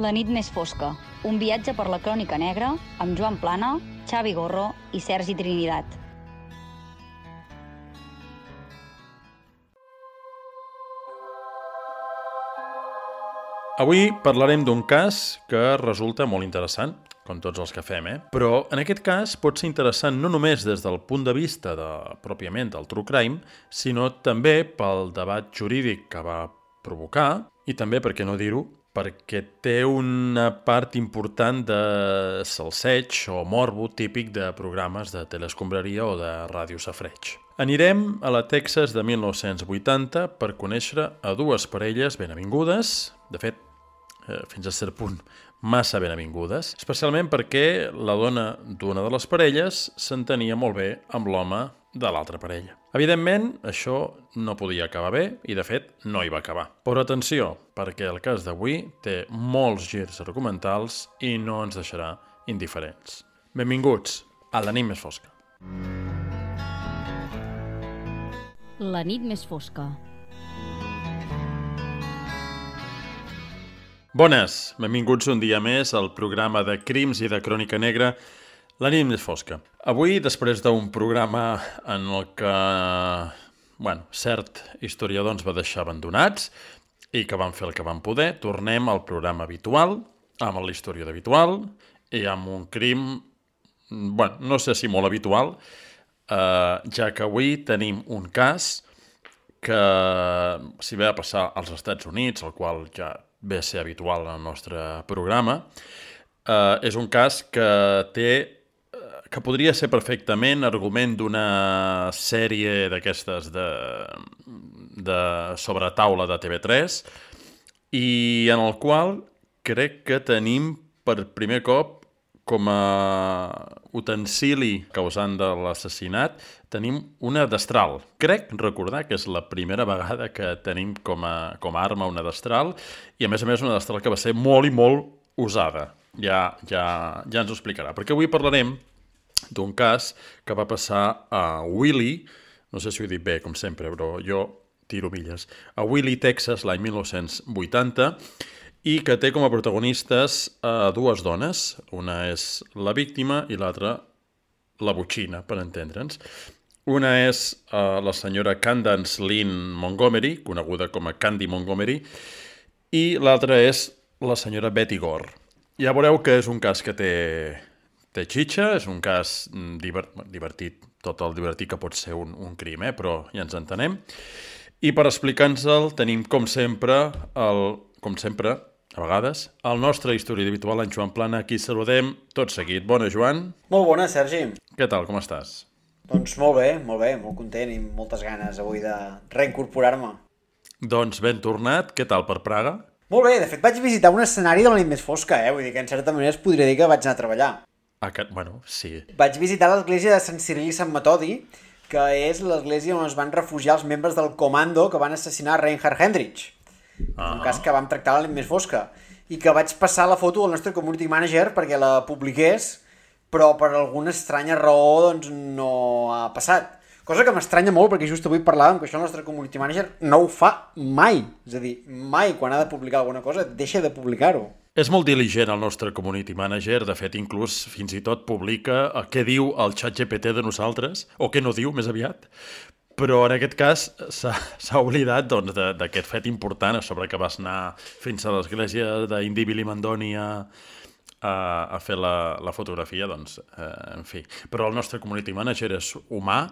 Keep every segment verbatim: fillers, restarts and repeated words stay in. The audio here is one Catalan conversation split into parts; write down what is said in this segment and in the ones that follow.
La nit més fosca, un viatge per la crònica negra amb Joan Plana, Xavi Gorro i Sergi Trinidad. Avui parlarem d'un cas que resulta molt interessant, com tots els que fem, eh? Però en aquest cas pot ser interessant no només des del punt de vista de, pròpiament del true crime, sinó també pel debat jurídic que va provocar i també, per què no dir-ho, perquè té una part important de salseig o morbo típic de programes de teleescombraria o de ràdio safreig. Anirem a la Texas de mil nou-cents vuitanta per conèixer a dues parelles ben avingudes, de fet, eh, fins a cert punt, massa ben avingudes, especialment perquè la dona d'una de les parelles s'entenia molt bé amb l'home de l'altra parella. Evidentment, això no podia acabar bé i, de fet, no hi va acabar. Però atenció, perquè el cas d'avui té molts girs argumentals i no ens deixarà indiferents. Benvinguts a La nit més fosca. La nit més fosca. Bones, benvinguts un dia més al programa de crims i de crònica negra La nit més fosca. Avui, després d'un programa en el que, bueno, cert historiador ens va deixar abandonats i que van fer el que van poder, tornem al programa habitual, amb l'historiador habitual i amb un crim, bueno, no sé si molt habitual, eh, ja que avui tenim un cas que si ve a passar als Estats Units, el qual ja ve a ser habitual en el nostre programa, eh, és un cas que té que podria ser perfectament argument d'una sèrie d'aquestes de, de sobretaula de T V tres i en el qual crec que tenim per primer cop com a utensili causant de l'assassinat tenim una destral. Crec recordar que és la primera vegada que tenim com a, com a arma una destral i a més a més una destral que va ser molt i molt usada. Ja, ja, ja ens ho explicarà. Perquè avui parlarem d'un cas que va passar a Willie, no sé si ho he dit bé, com sempre, però jo tiro milles, a Willie, Texas, l'any mil nou-cents vuitanta, i que té com a protagonistes a dues dones. Una és la víctima i l'altra la botxina, per entendre'ns. Una és uh, la senyora Candace Lynn Montgomery, coneguda com a Candy Montgomery, i l'altra és la senyora Betty Gore. Ja veureu que és un cas que té... Té xitxa, és un cas divert, divertit, tot el divertit que pot ser un, un crim, eh? Però ja ens entenem. I per explicar-nos-el tenim, com sempre, el, com sempre, a vegades, el nostre historiador habitual, en Joan Plana, aquí saludem tot seguit. Bona, Joan. Molt bona, Sergi. Què tal, com estàs? Doncs molt bé, molt bé, molt content i moltes ganes avui de reincorporar-me. Doncs ben tornat, què tal per Praga? Molt bé, de fet vaig visitar un escenari de La nit més fosca, eh? Vull dir que en certa manera es podria dir que vaig anar a treballar. Aquest, bueno, sí. Vaig visitar l'església de Sant Ciril i Sant Metodi, que és l'església on es van refugiar els membres del comando que van assassinar Reinhard Heydrich. Ah. Un cas que vam tractar a La nit més fosca. I que vaig passar la foto al nostre community manager perquè la publiqués, però per alguna estranya raó doncs, no ha passat. Cosa que m'estranya molt perquè just avui parlàvem que això el nostre community manager no ho fa mai. És a dir, mai quan ha de publicar alguna cosa deixa de publicar-ho. És molt diligent el nostre community manager, de fet inclús fins i tot publica què diu el xat G P T de nosaltres, o què no diu més aviat, però en aquest cas s'ha oblidat doncs, d'aquest fet important a sobre que vas anar fins a l'església d'Indibili Mandoni a, a, a fer la, la fotografia, doncs, eh, en fi. Però el nostre community manager és humà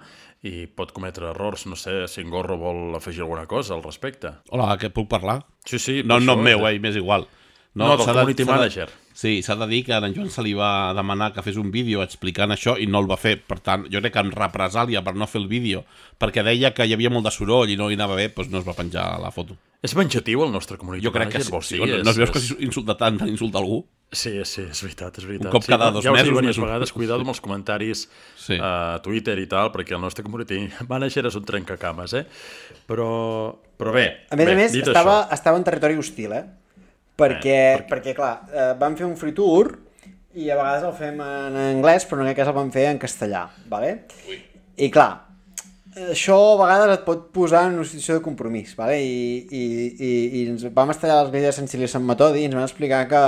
i pot cometre errors, no sé si en Gorro vol afegir alguna cosa al respecte. Hola, que puc parlar? Sí, sí. No, no meu, eh, m'és igual. No, no del community de, manager. De, sí, s'ha de dir que a en Joan se li va demanar que fes un vídeo explicant això i no el va fer. Per tant, jo crec que en represàlia per no fer el vídeo, perquè deia que hi havia molt de soroll i no hi anava bé, doncs no es va penjar la foto. És venjatiu el nostre community jo crec manager? Que sí. Sí, no, és, no es veus és... que insulta tant, tant insulta algú? Sí, sí, és veritat, és veritat. Un cop cada sí, dos ja mesos. Ja ho dic diverses vegades, cuidado amb els comentaris sí. a Twitter i tal, perquè el nostre community manager és un trencacames, eh? Però, però bé, a més bé, a més, dit estava, això... estava en territori hostil, eh? Perquè, eh, perquè... perquè clar, eh, vam fer un free tour i a vegades el fem en anglès, però en aquest cas el vam fer en castellà, vale? Ui. I clar, això a vegades et pot posar en una situació de compromís, vale? I, i, i, i ens vam estar a l'església de Sant Cili i Sant Metodi i ens van explicar que,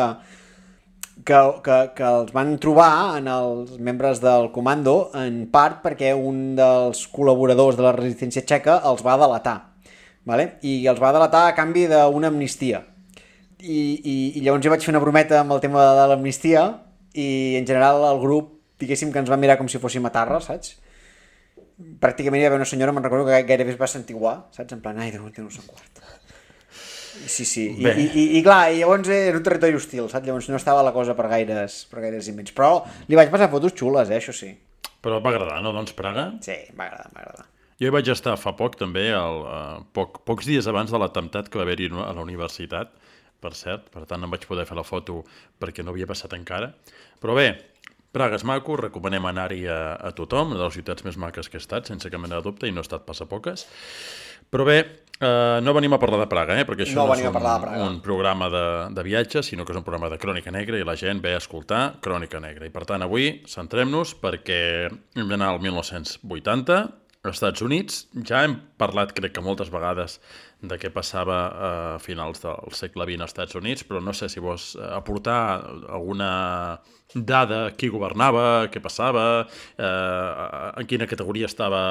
que, que, que els van trobar en els membres del comando en part perquè un dels col·laboradors de la resistència txeca els va delatar, vale? I els va delatar a canvi d'una amnistia. I, i, i llavors jo vaig fer una brometa amb el tema de l'amnistia i en general el grup, diguéssim que ens va mirar com si fóssim a Tarra, saps? Pràcticament hi va haver una senyora, me'n recordo que gairebé es va sentiguar, saps? En plan, ai, Déu, no sé quart. Sí, sí, I, i, i, i clar, i llavors era un territori hostil, saps? Llavors no estava la cosa per gaires, per gaires invents, però li vaig passar fotos xules, eh, això sí. Però et va agradar, no, doncs, Praga? Sí, m'agrada, m'agrada. Jo hi vaig estar fa poc, també, el, uh, poc, pocs dies abans de l'atemptat que va haver-hi a la universitat, per cert, per tant no em vaig poder fer la foto perquè no havia passat encara. Però bé, Praga és maco, recomanem anar-hi a, a tothom, una de les ciutats més maques que he estat, sense cap mena de dubte, i no he estat pas a poques. Però bé, eh, no venim a parlar de Praga, eh, perquè això no, no és un, un programa de, de viatge, sinó que és un programa de crònica negra i la gent ve a escoltar crònica negra. I per tant avui centrem-nos perquè hem d'anar al mil nou-cents vuitanta, als Estats Units. Ja hem parlat, crec que moltes vegades, de què passava a finals del segle vint als Estats Units, però no sé si vols aportar alguna dada, qui governava, què passava, eh, en quina categoria estava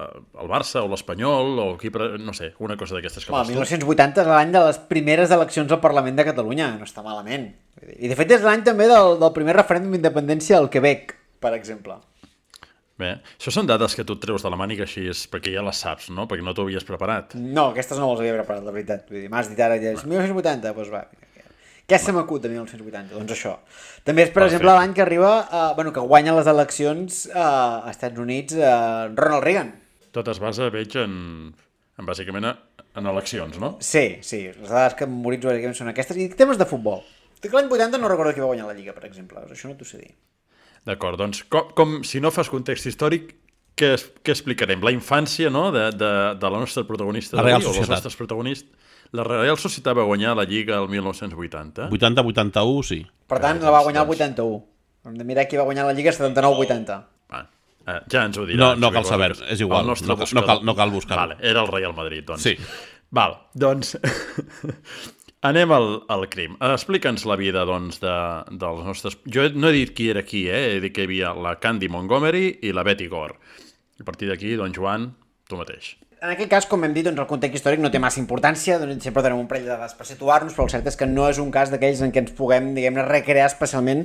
el Barça o l'Espanyol, o qui, no sé, una cosa d'aquestes que vas tu. mil nou-cents vuitanta és l'any de les primeres eleccions al Parlament de Catalunya, no està malament. I de fet és l'any també del, del primer referèndum d'independència al Quebec, per exemple. Bé, això són dades que tu et treus de la màniga així, és perquè ja les saps, no? Perquè no t'ho havies preparat. No, aquestes no les havia preparat, la veritat. Vull dir, m'has dit ara, ja és mil nou-cents vuitanta, doncs va. Què se m'acut de mil nou-cents vuitanta? Doncs això. També és, per Perfecte. exemple, l'any que arriba, eh, bueno, que guanya les eleccions eh, als Estats Units eh, Ronald Reagan. Tot es basa, veig, en, en bàsicament en eleccions, no? Sí, sí. Les dades que memoritzo bàsicament són aquestes. I temes de futbol. L'any vuitanta no recordo qui va guanyar la Lliga, per exemple. Això no t'ho sé dir. D'acord, doncs, com, com, si no fas context històric, què, què explicarem? La infància, no?, de, de, de la nostra protagonista la Real o dels nostres protagonistes. La Real Societat va guanyar la Lliga el mil nou-cents vuitanta. vuitanta vuitanta-u, sí. Per tant, la va guanyar el vuitanta-u. Hem de mirar qui va guanyar la Lliga setanta-nou vuitanta. Ah, eh, ja ens ho dirà. No, no cal saber, és igual, no, no, cal, no cal buscar-ho. Vale, era el Real Madrid, doncs. Sí. Val, doncs... Anem al, al crim. Explica'ns la vida, doncs, de, dels nostres... Jo no he dit qui era qui, eh? He dit que hi havia la Candy Montgomery i la Betty Gore. A partir d'aquí, doncs, Joan, tu mateix. En aquest cas, com hem dit, doncs el context històric no té massa importància, doncs sempre donem un parell de dades per situar-nos, però el cert és que no és un cas d'aquells en què ens puguem, diguem-ne, recrear especialment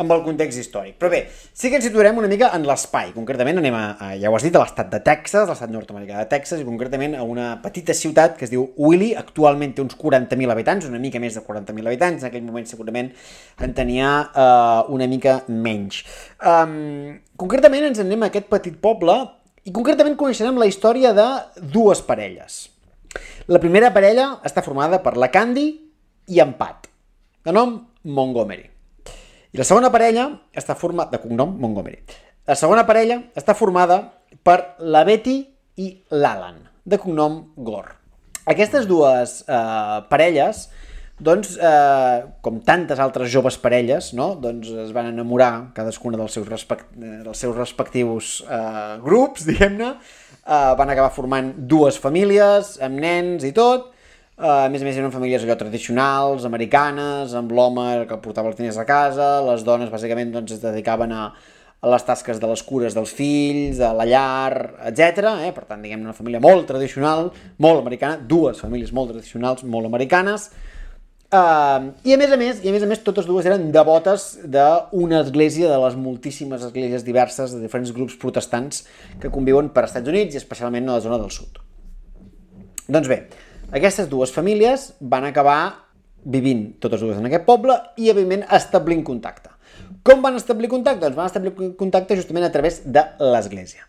amb el context històric. Però bé, sí que ens situarem una mica en l'espai. Concretament anem a, a ja ho has dit, a l'estat de Texas, l'estat nord-americà de Texas, i concretament a una petita ciutat que es diu Wiley. Actualment té uns quaranta mil habitants, una mica més de quaranta mil habitants. En aquell moment segurament en tenia uh, una mica menys. Um, concretament ens anem a aquest petit poble i concretament coneixerem la història de dues parelles. La primera parella està formada per la Candy i en Pat, de nom Montgomery. I la segona parella està formada, de cognom Montgomery. La segona parella està formada per la Betty i l'Alan, de cognom Gore. Aquestes dues eh, parelles, doncs, eh, com tantes altres joves parelles, no? Doncs es van enamorar cadascuna dels seus, respect... dels seus respectius eh, grups, diguem-ne, eh, van acabar formant dues famílies, amb nens i tot. Eh, a més a més eren famílies allò tradicionals, americanes, amb l'home que portava els diners a casa, les dones bàsicament doncs, es dedicaven a, a les tasques de les cures dels fills, a la llar, etcètera. Eh? Per tant, diguem-ne, una família molt tradicional, molt americana, dues famílies molt tradicionals, molt americanes. Uh, i a més a més, i a més a més totes dues eren devotes d'una església, de les moltíssimes esglésies diverses de diferents grups protestants que conviuen per als Estats Units i especialment a la zona del sud. Doncs bé, aquestes dues famílies van acabar vivint totes dues en aquest poble i evidentment establint contacte. Com van establir contacte? Doncs van establir contacte justament a través de l'església.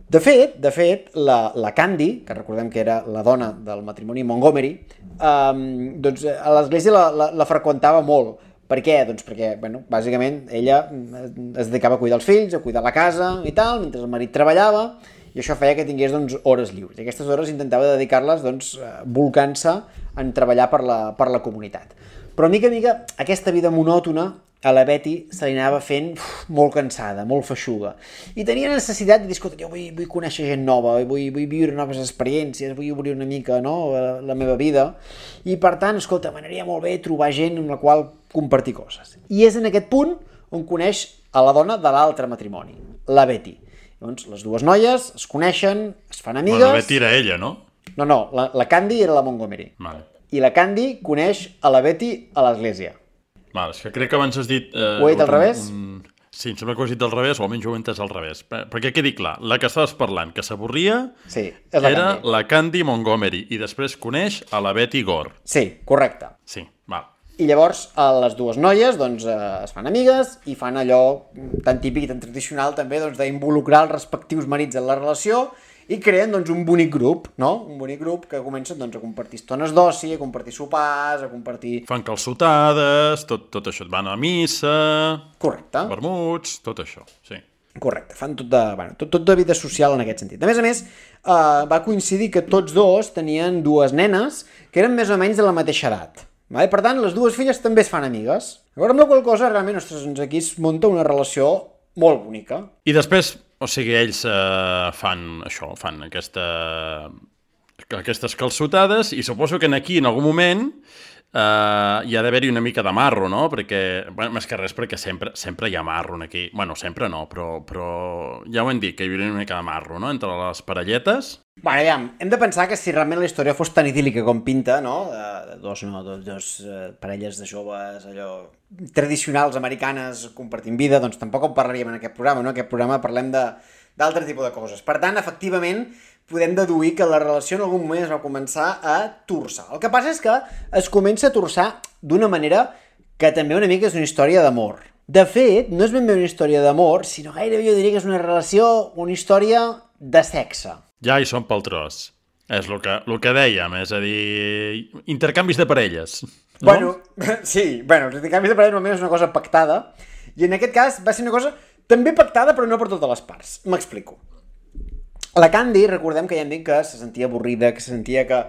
De fet, de fet, la, la Candy, que recordem que era la dona del matrimoni Montgomery, um, doncs a l'església la, la, la freqüentava molt. Per què? Doncs perquè, bueno, bàsicament, ella es dedicava a cuidar els fills, a cuidar la casa i tal, mentre el marit treballava, i això feia que tingués, doncs, hores lliures. I aquestes hores intentava dedicar-les, doncs, volcant-se en treballar per la, per la comunitat. Però, mica a mica, aquesta vida monòtona a la Betty se li anava fent uf, molt cansada, molt feixuga. I tenia necessitat de dir, escolta, jo vull, vull conèixer gent nova, vull, vull viure noves experiències, vull obrir una mica, no?, la, la meva vida. I per tant, escolta, m'aniria molt bé trobar gent amb la qual compartir coses. I és en aquest punt on coneix a la dona de l'altre matrimoni, la Betty. Llavors, les dues noies es coneixen, es fan amigues... Bueno, la Betty era ella, no? No, no, la, la Candy era la Montgomery. Vale. I la Candy coneix a la Betty a l'església. Vale, és que crec que abans has dit... Eh, ho he dit al un, revés? Un... Sí, em sembla que ho has dit al revés, o almenys ho he entès al revés. Perquè quedi clar, la que estaves parlant, que s'avorria, sí, és la era Candy. la Candy Montgomery, i després coneix a la Betty Gore. Sí, correcte. Sí, val. I llavors les dues noies doncs, es fan amigues i fan allò tan típic i tan tradicional també doncs, d'involucrar els respectius marits en la relació i creen doncs, un bonic grup, no? Un bonic grup que comencen doncs, a compartir estones d'oci, a compartir sopars, a compartir... Fan calçotades, tot, tot això. Van a missa... Correcte. Vermuts, tot això, sí. Correcte, fan tot de, bueno, tot, tot de vida social en aquest sentit. A més a més, eh, va coincidir que tots dos tenien dues nenes que eren més o menys de la mateixa edat. Vale? Per tant, les dues filles també es fan amigues. Llavors, amb la qual cosa, realment, ostres, doncs aquí es munta una relació molt bonica. I després, o sigui, ells eh, fan això, fan aquesta, aquestes calçotades i suposo que aquí, en algun moment, eh, hi ha d'haver-hi una mica de marro, no? Perquè, bueno, més que res, perquè sempre, sempre hi ha marro aquí. Bueno, sempre no, però, però ja ho hem dit, que hi hauria una mica de marro, no?, entre les parelletes. Bueno, aviam, hem de pensar que si realment la història fos tan idíl·lica com pinta, no?, de, de dos, no, dos, dos uh, parelles de joves, allò, tradicionals americanes compartint vida, doncs tampoc ho parlaríem en aquest programa, no? En aquest programa parlem d'altre tipus de coses. Per tant, efectivament, podem deduir que la relació en algun moment es va començar a torçar. El que passa és que es comença a torçar d'una manera que també una mica és una història d'amor. De fet, no és ben bé una història d'amor, sinó gairebé jo diria que és una relació, una història de sexe. Ja hi som pel tros. És el que, el que dèiem, és a dir, intercanvis de parelles. No? Bueno, sí, bueno, els intercanvis de parelles normalment és una cosa pactada, i en aquest cas va ser una cosa també pactada, però no per totes les parts. M'explico. La Candy, recordem que ja hem dit que se sentia avorrida, que se sentia que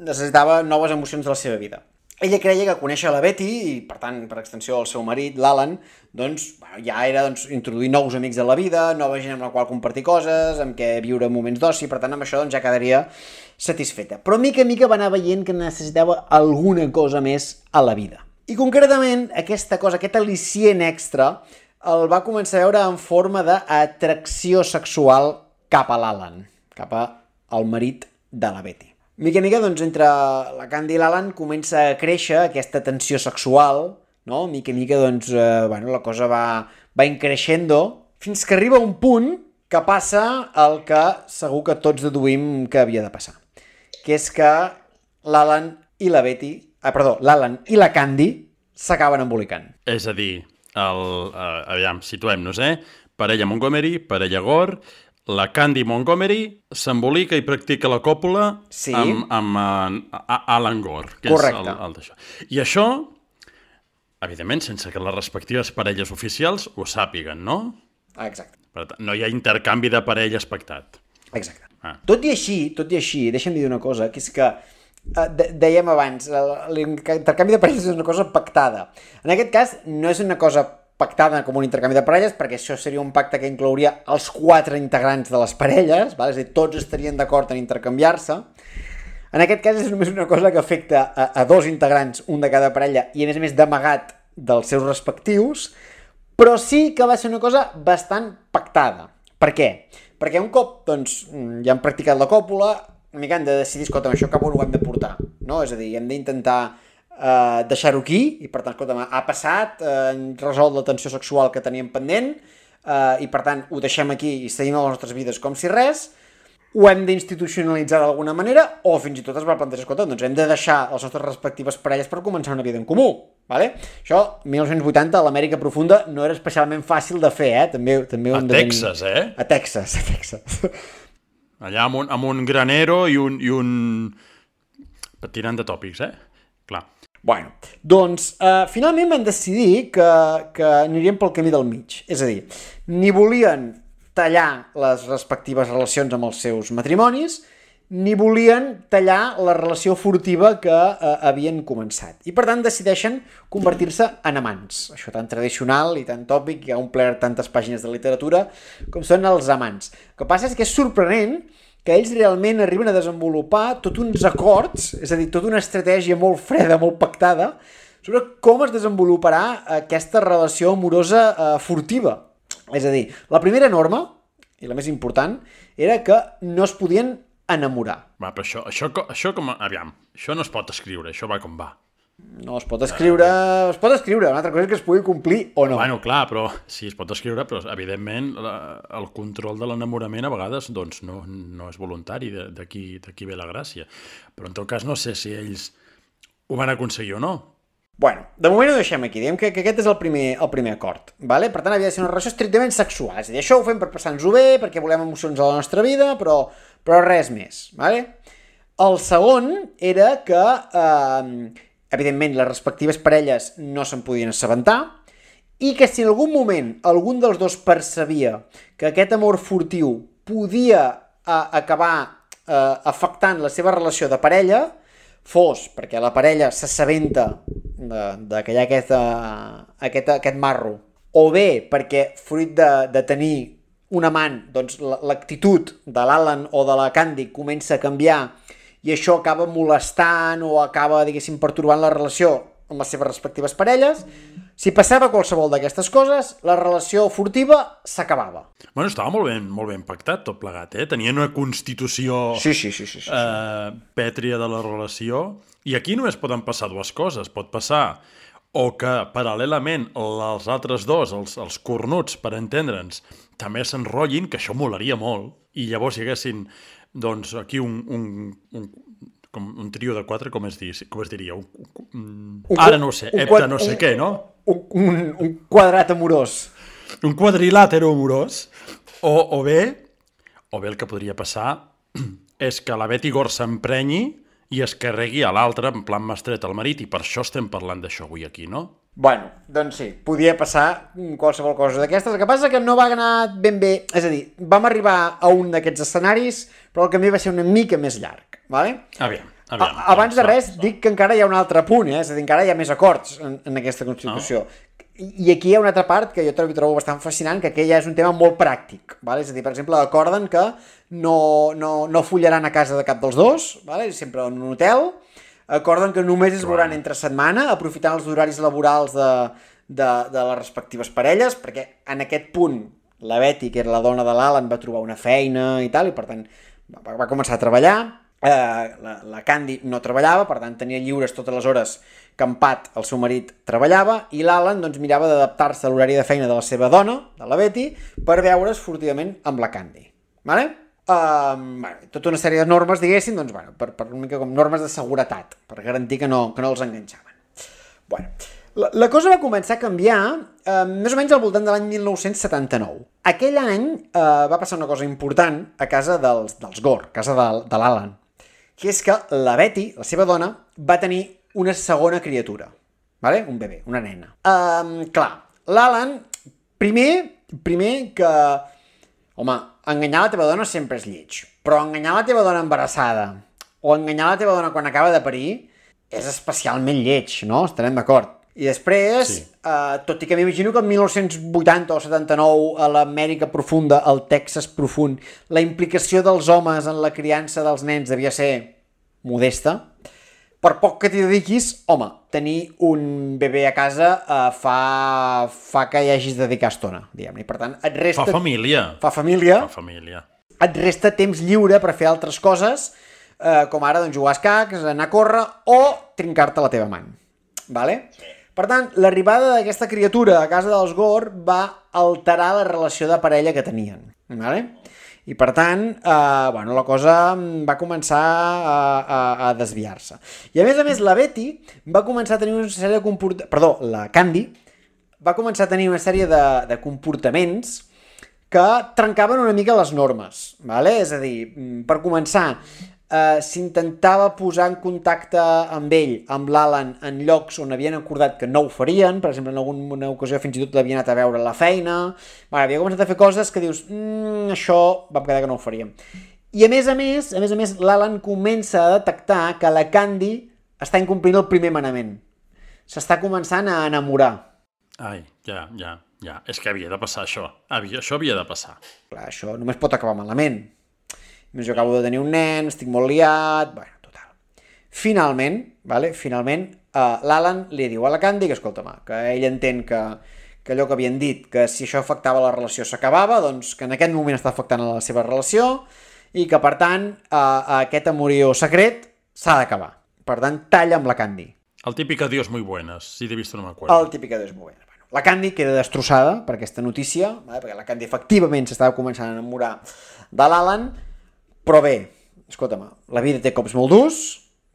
necessitava noves emocions de la seva vida. Ella creia que conèixer la Betty, i per tant, per extensió el seu marit, l'Alan, doncs bueno, ja era doncs, introduir nous amics a la vida, nova gent amb la qual compartir coses, amb què viure moments d'oci, per tant amb això doncs, ja quedaria satisfeta. Però mica a mica va anar veient que necessitava alguna cosa més a la vida. I concretament aquesta cosa, aquest al·licient extra, el va començar a veure en forma d'atracció sexual cap a l'Alan, cap al marit de la Betty. Mica a mica, doncs, entre la Candy i l'Alan comença a créixer aquesta tensió sexual, no? Mica a mica, doncs, eh, bueno, la cosa va, va increixendo, fins que arriba un punt que passa el que segur que tots deduïm que havia de passar. Que és que l'Alan i la Betty, ah, perdó, l'Alan i la Candy s'acaben embolicant. És a dir, el, uh, aviam, situem-nos, eh? Parella Montgomery, parella Gore, la Candy Montgomery s'embolica i practica la còpula sí. amb, amb uh, Alan Gore, que correcte. És el, el d'això. I això, evidentment, sense que les respectives parelles oficials ho sàpiguen, no? Exacte. Per tant, no hi ha intercanvi de parelles pactat. Exacte. Ah. Tot i així, tot i així, deixa'm dir una cosa, que és que eh, de, dèiem abans, l'intercanvi de parelles és una cosa pactada. En aquest cas, no és una cosa pactada com un intercanvi de parelles, perquè això seria un pacte que inclouria els quatre integrants de les parelles, val? És a dir, tots estarien d'acord en intercanviar-se. En aquest cas és només una cosa que afecta a, a dos integrants, un de cada parella, i a més a més d'amagat dels seus respectius, però sí que va ser una cosa bastant pactada. Per què? Perquè un cop doncs, ja han practicat la còpula, una mica han de decidir, escolta, això cap on ho hem de portar, no? És a dir, hem d'intentar Uh, deixar-ho aquí, i per tant, escolta, ha passat, uh, hem resolt la tensió sexual que teníem pendent, uh, i per tant ho deixem aquí i seguim a les nostres vides com si res, ho hem d'institucionalitzar d'alguna manera, o fins i tot es va plantejar, escolta, doncs hem de deixar les nostres respectives parelles per començar una vida en comú, vale? Això, mil nou-cents vuitanta, a l'Amèrica profunda no era especialment fàcil de fer, eh? També, també a Texas, tenir... eh? A Texas, a Texas. Allà amb un, amb un granero i un, i un... tirant de tòpics, eh? Clar. Bueno, doncs, eh, finalment van decidir que, que anirien pel camí del mig. És a dir, ni volien tallar les respectives relacions amb els seus matrimonis, ni volien tallar la relació furtiva que eh, havien començat. I per tant decideixen convertir-se en amants. Això tan tradicional i tan tòpic, que ha omplert tantes pàgines de literatura, com són els amants. El que passa és que és sorprenent que ells realment arriben a desenvolupar tots uns acords, és a dir, tota una estratègia molt freda, molt pactada, sobre com es desenvoluparà aquesta relació amorosa eh, furtiva. És a dir, la primera norma, i la més important, era que no es podien enamorar. Va, però això, això, això com... Aviam, això no es pot escriure, això va com va. No, es pot escriure... Es pot escriure, una altra cosa és que es pugui complir o no. Bueno, clar, però sí, es pot escriure, però evidentment la, el control de l'enamorament a vegades doncs, no, no és voluntari, d'aquí ve la gràcia. Però en tot cas no sé si ells ho van aconseguir o no. Bueno, de moment ho deixem aquí, diguem que, que aquest és el primer, el primer acord, vale? Per tant havia de ser una relació estrictament sexual, és a dir, això ho fem per passar-nos-ho bé, perquè volem emocions a la nostra vida, però, però res més, vale? El segon era que, eh, evidentment, les respectives parelles no se'n podien assabentar, i que si en algun moment algun dels dos percebia que aquest amor furtiu podia eh, acabar eh, afectant la seva relació de parella, fos perquè la parella s'assabenta de, de que hi ha aquest, uh, aquest, aquest marro, o bé perquè fruit de, de tenir un amant, doncs l'actitud de l'Alan o de la Candy comença a canviar i això acaba molestant o acaba, diguéssim, pertorbant la relació amb les seves respectives parelles. Si passava qualsevol d'aquestes coses, la relació furtiva s'acabava. Bueno, estava molt ben, molt ben pactat tot plegat, eh? Tenien una constitució sí, sí, sí, sí, sí, sí. Eh, pètria de la relació, i aquí només poden passar dues coses. Pot passar o que paral·lelament els altres dos, els, els cornuts, per entendre'ns, també s'enrotllin, que això molaria molt, i llavors hi haguessin, doncs, aquí un... un, un com un trio de quatre, com es, dir, com es diria? Un, un, un, ara no ho sé, hepta no sé un, què, no? Un, un, un quadrat amorós. Un quadrilàtero amorós. O, o bé, o bé el que podria passar és que la Betty Gore s'emprenyi i es carregui a l'altre en plan mastret al marit, i per això estem parlant d'això avui aquí, no? Bueno, doncs sí, podia passar qualsevol cosa d'aquestes. El que passa que no va anar ben bé, és a dir, vam arribar a un d'aquests escenaris, però el camí va ser una mica més llarg, vale? Aviam, aviam. A, abans de res, dic que encara hi ha un altre punt, eh? És a dir, encara hi ha més acords en, en aquesta Constitució. Oh. I, I aquí hi ha una altra part que jo trobo, trobo bastant fascinant, que aquella és un tema molt pràctic, vale? És a dir, per exemple, acorden que no, no, no follaran a casa de cap dels dos, vale? Sempre en un hotel. Acorden que només es veuran entre setmana, aprofitant els horaris laborals de, de, de les respectives parelles, perquè en aquest punt la Betty, que era la dona de l'Alan, va trobar una feina i tal, i per tant va, va començar a treballar. Eh, la, la Candy no treballava, per tant tenia lliures totes les hores que en Pat, el seu marit, treballava, i l'Alan doncs, mirava d'adaptar-se a l'horari de feina de la seva dona, de la Betty, per veure's furtivament amb la Candy. Vale? Uh, bueno, tota una sèrie de normes, diguéssim, doncs, bueno, per, per una mica com normes de seguretat, per garantir que no, que no els enganxaven. Bueno, la, la cosa va començar a canviar uh, més o menys al voltant de l'any mil nou-cents setanta-nou. Aquell any uh, va passar una cosa important a casa dels, dels Gore, a casa de, de l'Alan, que és que la Betty, la seva dona, va tenir una segona criatura, vale? Un bebè, una nena. Uh, clar, l'Alan, primer, primer que... Home, enganyar la teva dona sempre és lleig, però enganyar la teva dona embarassada o enganyar la teva dona quan acaba de parir és especialment lleig, no? Estarem d'acord. I després, sí. eh, tot i que m'imagino que el mil nou-cents vuitanta o setanta-nou a l'Amèrica profunda, al Texas profund, la implicació dels homes en la criança dels nens devia ser modesta, per poc que t'hi dediquis, home, tenir un bebè a casa eh, fa, fa que hi hagis de dedicar estona, diguem-ne. Per tant, et resta... Fa família. Fa família. Fa família. Et resta temps lliure per fer altres coses, eh, com ara doncs, jugar a escacs, anar a córrer o trincar-te la teva man. Vale? Per tant, l'arribada d'aquesta criatura a casa dels Gore va alterar la relació de parella que tenien. Vale? I per tant, eh, bueno, la cosa va començar a, a, a desviar-se. I a més a més, la Betty va començar a tenir una sèrie de comportaments... Perdó, la Candy va començar a tenir una sèrie de, de comportaments que trencaven una mica les normes. Vale? És a dir, per començar, eh, s'intentava posar en contacte amb ell, amb l'Alan, en llocs on havien acordat que no ho farien. Per exemple, en alguna ocasió fins i tot l'havien anat a veure a la feina. Bueno, havia començat a fer coses que dius, mmm, això vam quedar que no ho faríem. I a més a més, a més a més, l'Alan comença a detectar que la Candy està incomplint el primer manament. S'està començant a enamorar. Ai, ja, ja, ja. És que havia de passar això. Havia, això havia de passar. Clar, això només pot acabar malament. Més jo acabo de tenir un nen, estic molt liat... Bueno, total. Finalment, vale? Finalment, uh, l'Alan li diu a la Candy que, escolta-me, que ell entén que, que allò que havien dit, que si això afectava la relació s'acabava, doncs que en aquest moment està afectant a la seva relació i que, per tant, uh, aquest amorío secret s'ha d'acabar. Per tant, talla amb la Candy. El típic adiós muy buenas, si de visto no me acuerdo. El típic adiós muy buenas. Bueno, la Candy queda destrossada per aquesta notícia, vale? Perquè la Candy efectivament s'estava començant a enamorar de l'Alan, però bé, escolta'm, la vida té cops molt durs,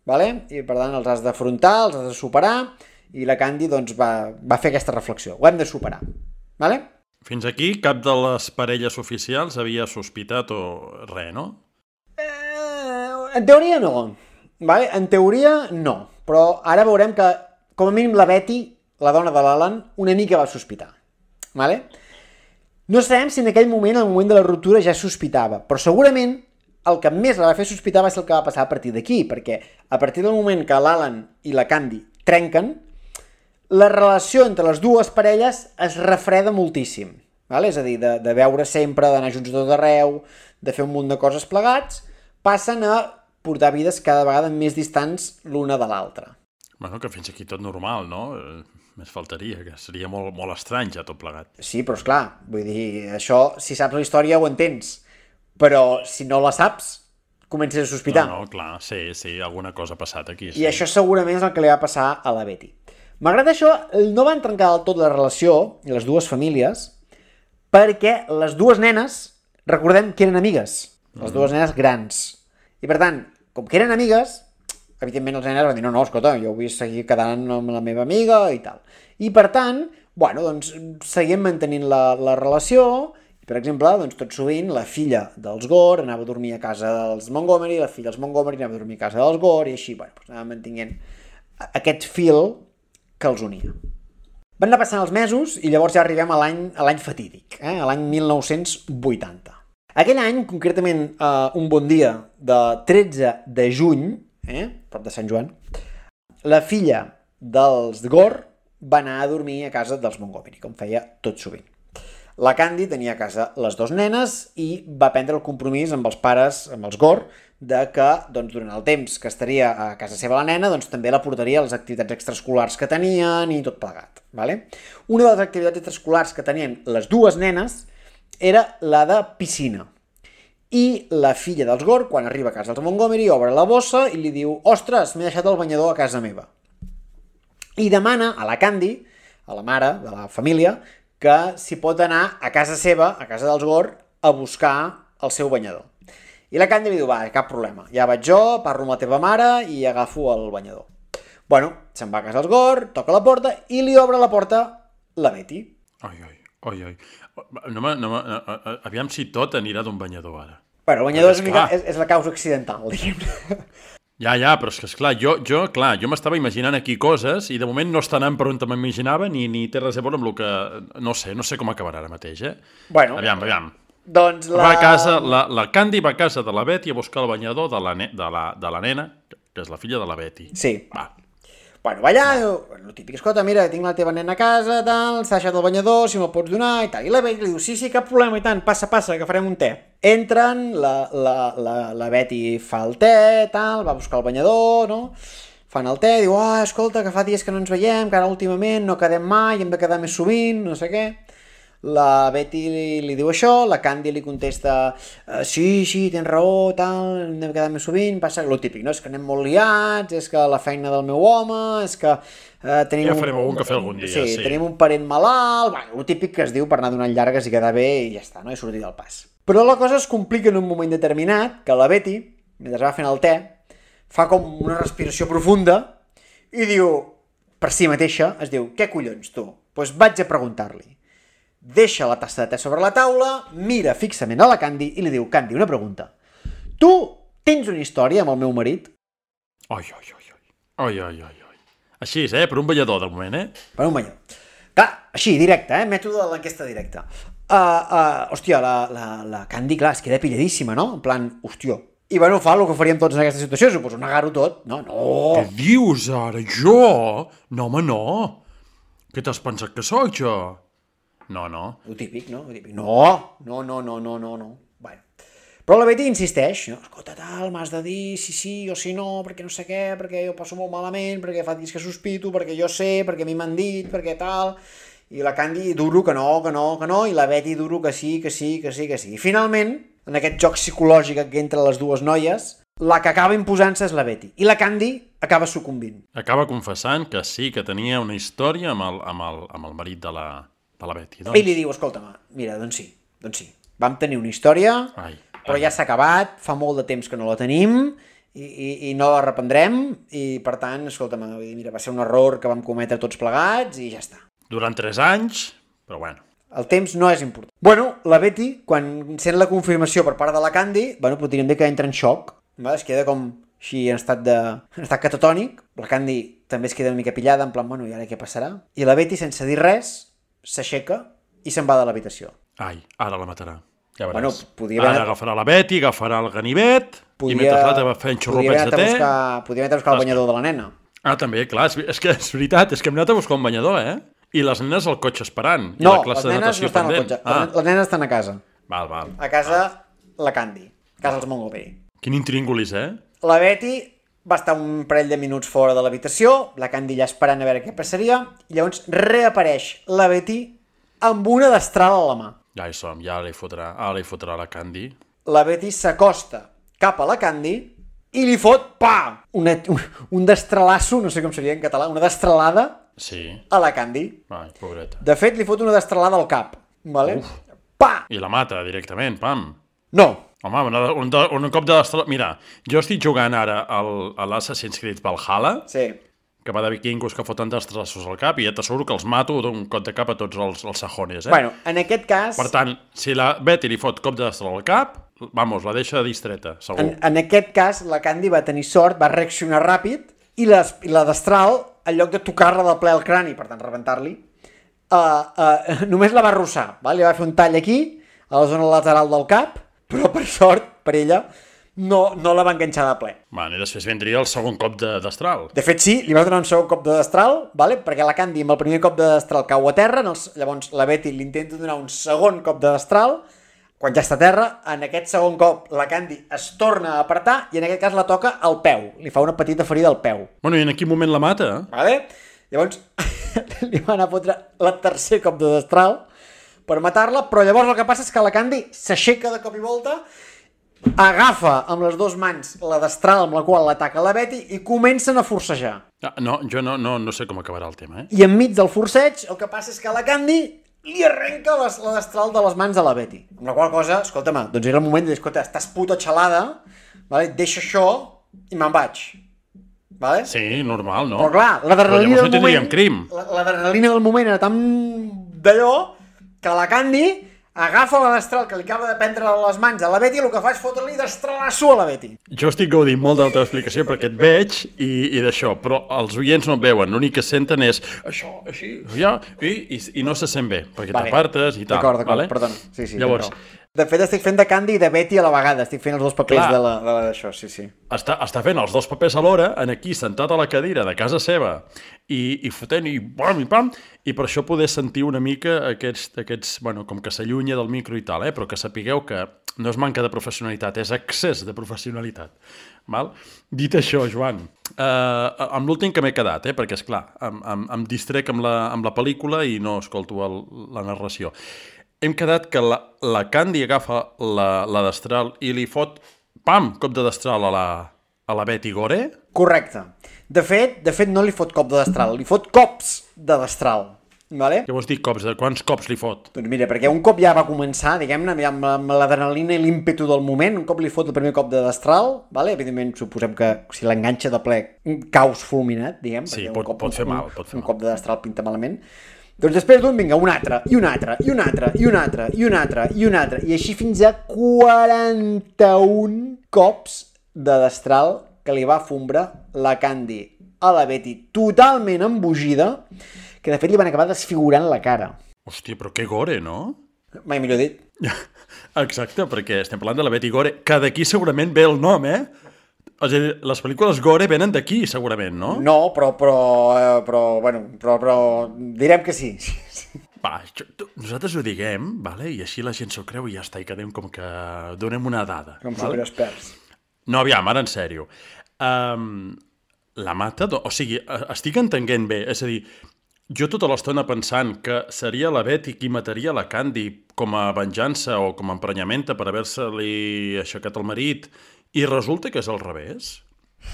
vale? I per tant els has d'afrontar, els has de superar, i la Candy doncs, va, va fer aquesta reflexió. Ho hem de superar. Vale? Fins aquí cap de les parelles oficials havia sospitat o res, no? Eh, en teoria no. Vale? En teoria no. Però ara veurem que, com a mínim, la Betty, la dona de l'Alan, una mica va sospitar. Vale? No sabem si en aquell moment, al moment de la ruptura, ja sospitava, però segurament el que més la va fer sospitar va ser el que va passar a partir d'aquí, perquè a partir del moment que l'Alan i la Candy trenquen, la relació entre les dues parelles es refreda moltíssim. Vale? És a dir, de, de veure sempre, d'anar junts a tot arreu, de fer un munt de coses plegats, passen a portar vides cada vegada més distants l'una de l'altra. Bueno, que fins aquí tot normal, no? Més faltaria, que seria molt, molt estrany ja tot plegat. Sí, però esclar, vull dir, això, si saps la història ho entens, però si no la saps, comences a sospitar. No, no, clar, sí, sí, alguna cosa ha passat aquí. Sí. I això segurament és el que li va passar a la Betty. Malgrat això, no van trencar del tot la relació, les dues famílies, perquè les dues nenes, recordem que eren amigues, les mm. dues nenes grans. I per tant, com que eren amigues, evidentment els nenes van dir, no, no, escolta, jo vull seguir quedant amb la meva amiga i tal. I per tant, bueno, doncs, seguim mantenint la, la relació, i per exemple, doncs, tot sovint, la filla dels Gore anava a dormir a casa dels Montgomery, la filla dels Montgomery anava a dormir a casa dels Gore, i així, bueno, doncs, anava mantenint aquest fil que els unia. Van anar passant els mesos i llavors ja arribem a l'any a l'any fatídic, eh? a l'any mil nou-cents vuitanta. Aquell any, concretament eh, un bon dia de tretze de juny, eh? prop de Sant Joan, la filla dels Gore va anar a dormir a casa dels Montgomery, com feia tot sovint. La Candy tenia a casa les dues nenes i va prendre el compromís amb els pares, amb els Gore, de que doncs, durant el temps que estaria a casa seva la nena, doncs, també la portaria a les activitats extraescolars que tenien i tot plegat. Vale? Una de les activitats extraescolars que tenien les dues nenes era la de piscina. I la filla dels Gore, quan arriba a casa dels Montgomery, obre la bossa i li diu «Ostres, m'he deixat el banyador a casa meva». I demana a la Candy, a la mare de la família, que si pot anar a casa seva, a casa dels Gore, a buscar el seu banyador. I la Candy li diu, va, cap problema, ja vaig jo, parlo amb la teva mare i agafo el banyador. Bueno, se'n va a casa dels Gore, toca la porta i li obre la porta la Betty. Ai, ai, ai, ai. No, no, no, aviam si tot anirà d'un banyador ara. Bueno, el banyador és, mica, és, és la causa accidental, diguem. Ja, ja, però és que, esclar, jo, jo, clar, jo m'estava imaginant aquí coses i de moment no està anant per on m'imaginava ni, ni té res a veure amb el que... No sé, no sé com acabarà ara mateix, eh? Bueno, aviam, aviam. Doncs la... Va a casa, la, la Candy va a casa de la Betty a buscar el banyador de la, ne, de, la, de la nena, que és la filla de la Betty. Sí. Va. Bueno, va allà, el típic, escolta, mira, tinc la teva nena a casa, tal, s'ha deixat el banyador, si me'l pots donar, i tal. I la Betty li diu, sí, sí, cap problema, i tant, passa, passa, que farem un te. Entren, la, la, la, la Betty fa el te, tal, va a buscar el banyador, no? Fan el te, diu, ah, oh, escolta, que fa dies que no ens veiem, que ara últimament no quedem mai, hem de quedar més sovint, no sé què. La Betty li, li diu això, la Candy li contesta sí, sí, tens raó, tal, hem de quedar més sovint, passa el típic, no? És que anem molt liats, és que la feina del meu home, és que eh, tenim... Ja farem un, un cafè algun dia, sí. Sí, tenim un parent malalt, bueno, el típic que es diu per anar donant llargues i quedar bé i ja està, no? I sortir del pas. Però la cosa es complica en un moment determinat, que la Betty, mentre va fent el te, fa com una respiració profunda i diu, per si mateixa, es diu, què collons, tu? Doncs pues vaig a preguntar-li. Deixa la tassa de te sobre la taula, mira fixament a la Candy i li diu, Candy, una pregunta. Tu tens una història amb el meu marit? Ai, ai, ai, ai, ai, ai, ai. Així és, eh? Per un ballador, de moment, eh? Per un ballador. Clar, així, directe, eh? Mètode de l'enquesta directa. uh, uh, hòstia, la, la, la Candy, clar, es queda pilladíssima, no? En plan, hòstia. I bueno, fa el que faríem tots en aquesta situació, suposo, negar-ho tot. No, no. Què dius ara? Jo? No, home, no. Què t'has pensat que sóc, jo? No, no. Lo típic, no? Lo típic. No, no, no, no, no, no, no. Bueno. Però la Betty insisteix, no? Escolta, tal, m'has de dir si sí o si no, perquè no sé què, perquè jo passo molt malament, perquè fa dies que sospito, perquè jo sé, perquè a mi m'han dit, perquè tal... I la Candy duro que no, que no, que no, i la Betty duro que sí, que sí, que sí, que sí. I finalment, en aquest joc psicològic que entre les dues noies, la que acaba imposant-se és la Betty. I la Candy acaba sucumbint. Acaba confessant que sí, que tenia una història amb el, amb el, amb el marit de la, de la Betty. Doncs... I li diu, escolta'm, mira, doncs sí, doncs sí. Vam tenir una història, ai, però ai. ja s'ha acabat, fa molt de temps que no la tenim, i, i, i no la reprendrem, i per tant, escolta'm, mira, va ser un error que vam cometre tots plegats, i ja està. Durant tres anys, però bueno. El temps no és important. Bueno, la Betty, quan sent la confirmació per part de la Candy, bueno, podríem dir que entra en xoc, va? Es queda com així en estat, de... en estat catatònic, la Candy també es queda una mica pillada, en plan, bueno, i ara què passarà? I la Betty, sense dir res, s'aixeca i se'n va de l'habitació. Ai, ara la matarà. Ja veràs. Bueno, podia haver... Ara agafarà la Betty, agafarà el ganivet, podia... i mentre l'altre va fent xorropets de te... Buscar... Podria haver anat a buscar el banyador de la nena. Ah, també, clar, és, és que és veritat, és que hem anat a buscar un banyador, eh? I les nenes al cotxe esperant. No, I la classe les nenes de no estan pendent. al cotxe. Ah. Les nenes estan a casa. Val, val. A casa, la Candy. A casa els Mongobé. Quin intríngulis, eh? La Betty va estar un parell de minuts fora de l'habitació, la Candy ja esperant a veure què passaria, i llavors reapareix la Betty amb una destral a la mà. Ja hi som, ja li fotrà, ara li fotrà la Candy. La Betty s'acosta cap a la Candy i li fot, pa! Una, un, un destralasso, no sé com seria en català, una destralada sí. a la Candy. Ai, pobreta. De fet, li fot una destralada al cap. Vale? Uf. Pa! I la mata directament, pam. No. Home, un, un, un cop de destralada... Mira, jo estic jugant ara al, a l'Assassin's Creed Valhalla, sí. que va de vikingos que foten destralassos al cap, i ja t'asseguro que els mato d'un cop de cap a tots els, els sajones, eh? Bueno, en aquest cas... Per tant, si la Betty li fot cop de destral al cap, vamos, la deixa distreta, segur. En, en aquest cas, la Candy va tenir sort, va reaccionar ràpid, i, les, i la destral, en lloc de tocar-la de ple al crani, per tant, rebentar-li, uh, uh, només la va arrossar, val? Li va fer un tall aquí, a la zona lateral del cap, però per sort, per ella, no, no la va enganxar de ple. Bueno, i després vindria el segon cop de destral. De fet, sí, li va donar un segon cop de destral, vale? Perquè la Candy amb el primer cop de destral cau a terra, els, llavors la Betty li intenta donar un segon cop de destral, quan ja està a terra, en aquest segon cop la Candy es torna a apretar i en aquest cas la toca al peu. Li fa una petita ferida al peu. Bueno, i en quin moment la mata? Vale? Llavors li va anar a fotre la tercer cop de destral per matar-la, però llavors el que passa és que la Candy s'aixeca de cop i volta, agafa amb les dues mans la destral amb la qual l'ataca la Betty i comencen a forcejar. Ah, no, jo no, no, no sé com acabarà el tema, eh? I enmig del forceig el que passa és que la Candy li arrenca les, la destral de les mans a la Betty. Amb la qual cosa, escolta'm, doncs era el moment de dir, escolta, estàs puta xalada, vale? Deixa això i me'n vaig. Vale? Sí, normal, no? Però clar, l'adrenalina no del moment... crim. L'adrenalina del moment era tan d'allò que la Candy agafa la destral que li acaba de prendre a les mans a la Betty i el que fa és fotre-li destralasso a la Betty. Jo estic gaudint molt de la teva explicació perquè et veig i, i d'això, però els oients no et veuen, l'únic que senten és això, així, ja, i, i, i no se sent bé, perquè vale. T'apartes i tal. D'acord, d'acord, vale? perdona. Sí, sí, llavors, de fet, estic fent de Candy i de Betty a la vegada, estic fent els dos papers de la, de la, d'això, sí, sí. Està, està fent els dos papers alhora, en aquí, sentat a la cadira de casa seva, i, i fotent, i pam, i pam, i per això poder sentir una mica aquests, aquests bueno, com que s'allunya del micro i tal, eh? Però que sapigueu que no és manca de professionalitat, és excés de professionalitat. Val? Dit això, Joan, eh, amb l'últim que m'he quedat, eh? Perquè, esclar, em, em, em distrec amb la, amb la pel·lícula i no escolto el, la narració. Hem quedat que la, la Candy agafa la, la destral i li fot, pam, cop de destral a la, a la Betty Gore? Correcte. De fet, de fet no li fot cop de destral, li fot cops de destral. Vale? Què vols dir cops? De quants cops li fot? Doncs mira, perquè un cop ja va començar, diguem-ne, amb, amb l'adrenalina i l'ímpetu del moment, un cop li fot el primer cop de destral, vale? Evidentment suposem que si l'enganxa de ple, caus fulminat, diguem. Sí, pot, cop, pot fer un, mal. Pot fer un mal. cop de destral pinta malament. Doncs després d'un, vinga, un altre, i un altre, i un altre, i un altre, i un altre, i un altre, i així fins a quaranta-un cops de destral que li va fombrar la Candy a la Betty, totalment embogida, que de fet li van acabar desfigurant la cara. Hòstia, però que gore, no? Mai millor dit. Exacte, perquè estem parlant de la Betty Gore, que d'aquí segurament ve el nom, eh? És a dir, les pel·lícules Gore venen d'aquí, segurament, no? No, però, però, eh, però, bueno, però, però direm que sí. Va, nosaltres ho diguem, vale? I així la gent s'ho creu i ja està, i quedem com que donem una dada. Com vale? superexperts. No, aviam, ara en sèrio. Um, la mata, o sigui, estic entenent bé, és a dir, jo tota l'estona pensant que seria la Betty qui mataria la Candy com a venjança o com a emprenyamenta per haver-se-li aixecat el marit, i resulta que és al revés.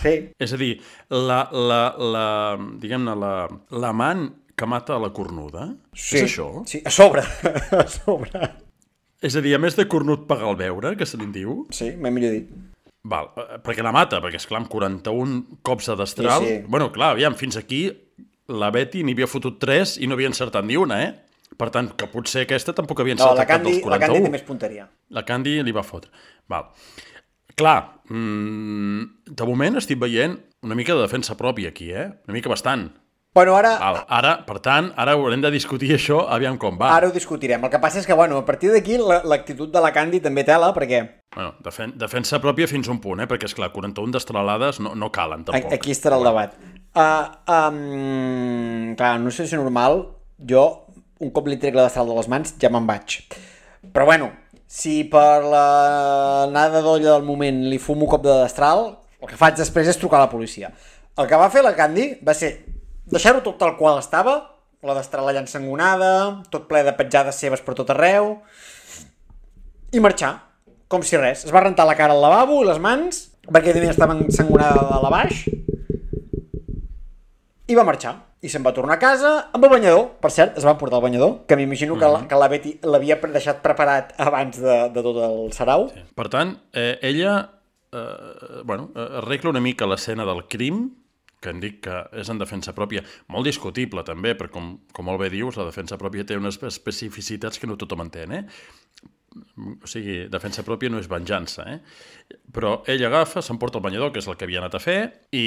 Sí. És a dir, la, la, la, diguem-ne, la, l'amant que mata a la cornuda, Sí. és això? Sí, a sobre, a sobre. És a dir, a més de cornut pagar el beure, que se li diu, Sí, mai millor dit. val, perquè la mata, perquè, esclar, amb quaranta-un cops a destral, Sí, sí. bueno, clar, aviam, fins aquí la Betty n'hi havia fotut tres i no havia encertat ni una, eh? Per tant, que potser aquesta tampoc havia No, encertat la cap Candy, dels la Candy té quaranta-un. més punteria. La Candy li va fotre. Val. Clar, mmm, de moment estic veient una mica de defensa pròpia aquí, eh? Una mica bastant. Bueno, ara, Val. Ara, per tant, ara haurem de discutir això, aviam com va. ara ho discutirem. El que passa és que, bueno, a partir d'aquí la- l'actitud de la Candy també tela, perquè Bueno, defen defensa pròpia fins a un punt, eh? Perquè, esclar, quaranta-un destralades no, no calen, tampoc. aquí estarà el debat. Uh, um, clar, no sé si és normal, jo, un cop li trec la destral de les mans, ja me'n vaig. Però bueno, si per la nada d'olla del moment li fumo un cop de destral, el que faig després és trucar a la policia. El que va fer la Candy va ser deixar-ho tot tal qual estava, la destral allà ensangonada, tot ple de petjades seves per tot arreu, i marxar, com si res. Es va rentar la cara al lavabo i les mans, perquè també estava ensangonada de dalt a baix, i va marxar. I se'n va tornar a casa amb el banyador. Per cert, es va portar el banyador, que m'imagino que, la, que la Betty l'havia deixat preparat abans de, de tot el sarau. Sí. Per tant, eh, ella eh, bueno, arregla una mica l'escena del crim, que em dic que és en defensa pròpia, molt discutible també, perquè com, com molt bé dius, la defensa pròpia té unes especificitats que no tothom entén, eh? O sigui, defensa pròpia no és venjança, eh? Però ell agafa, s'emporta el banyador, que és el que havia anat a fer, i,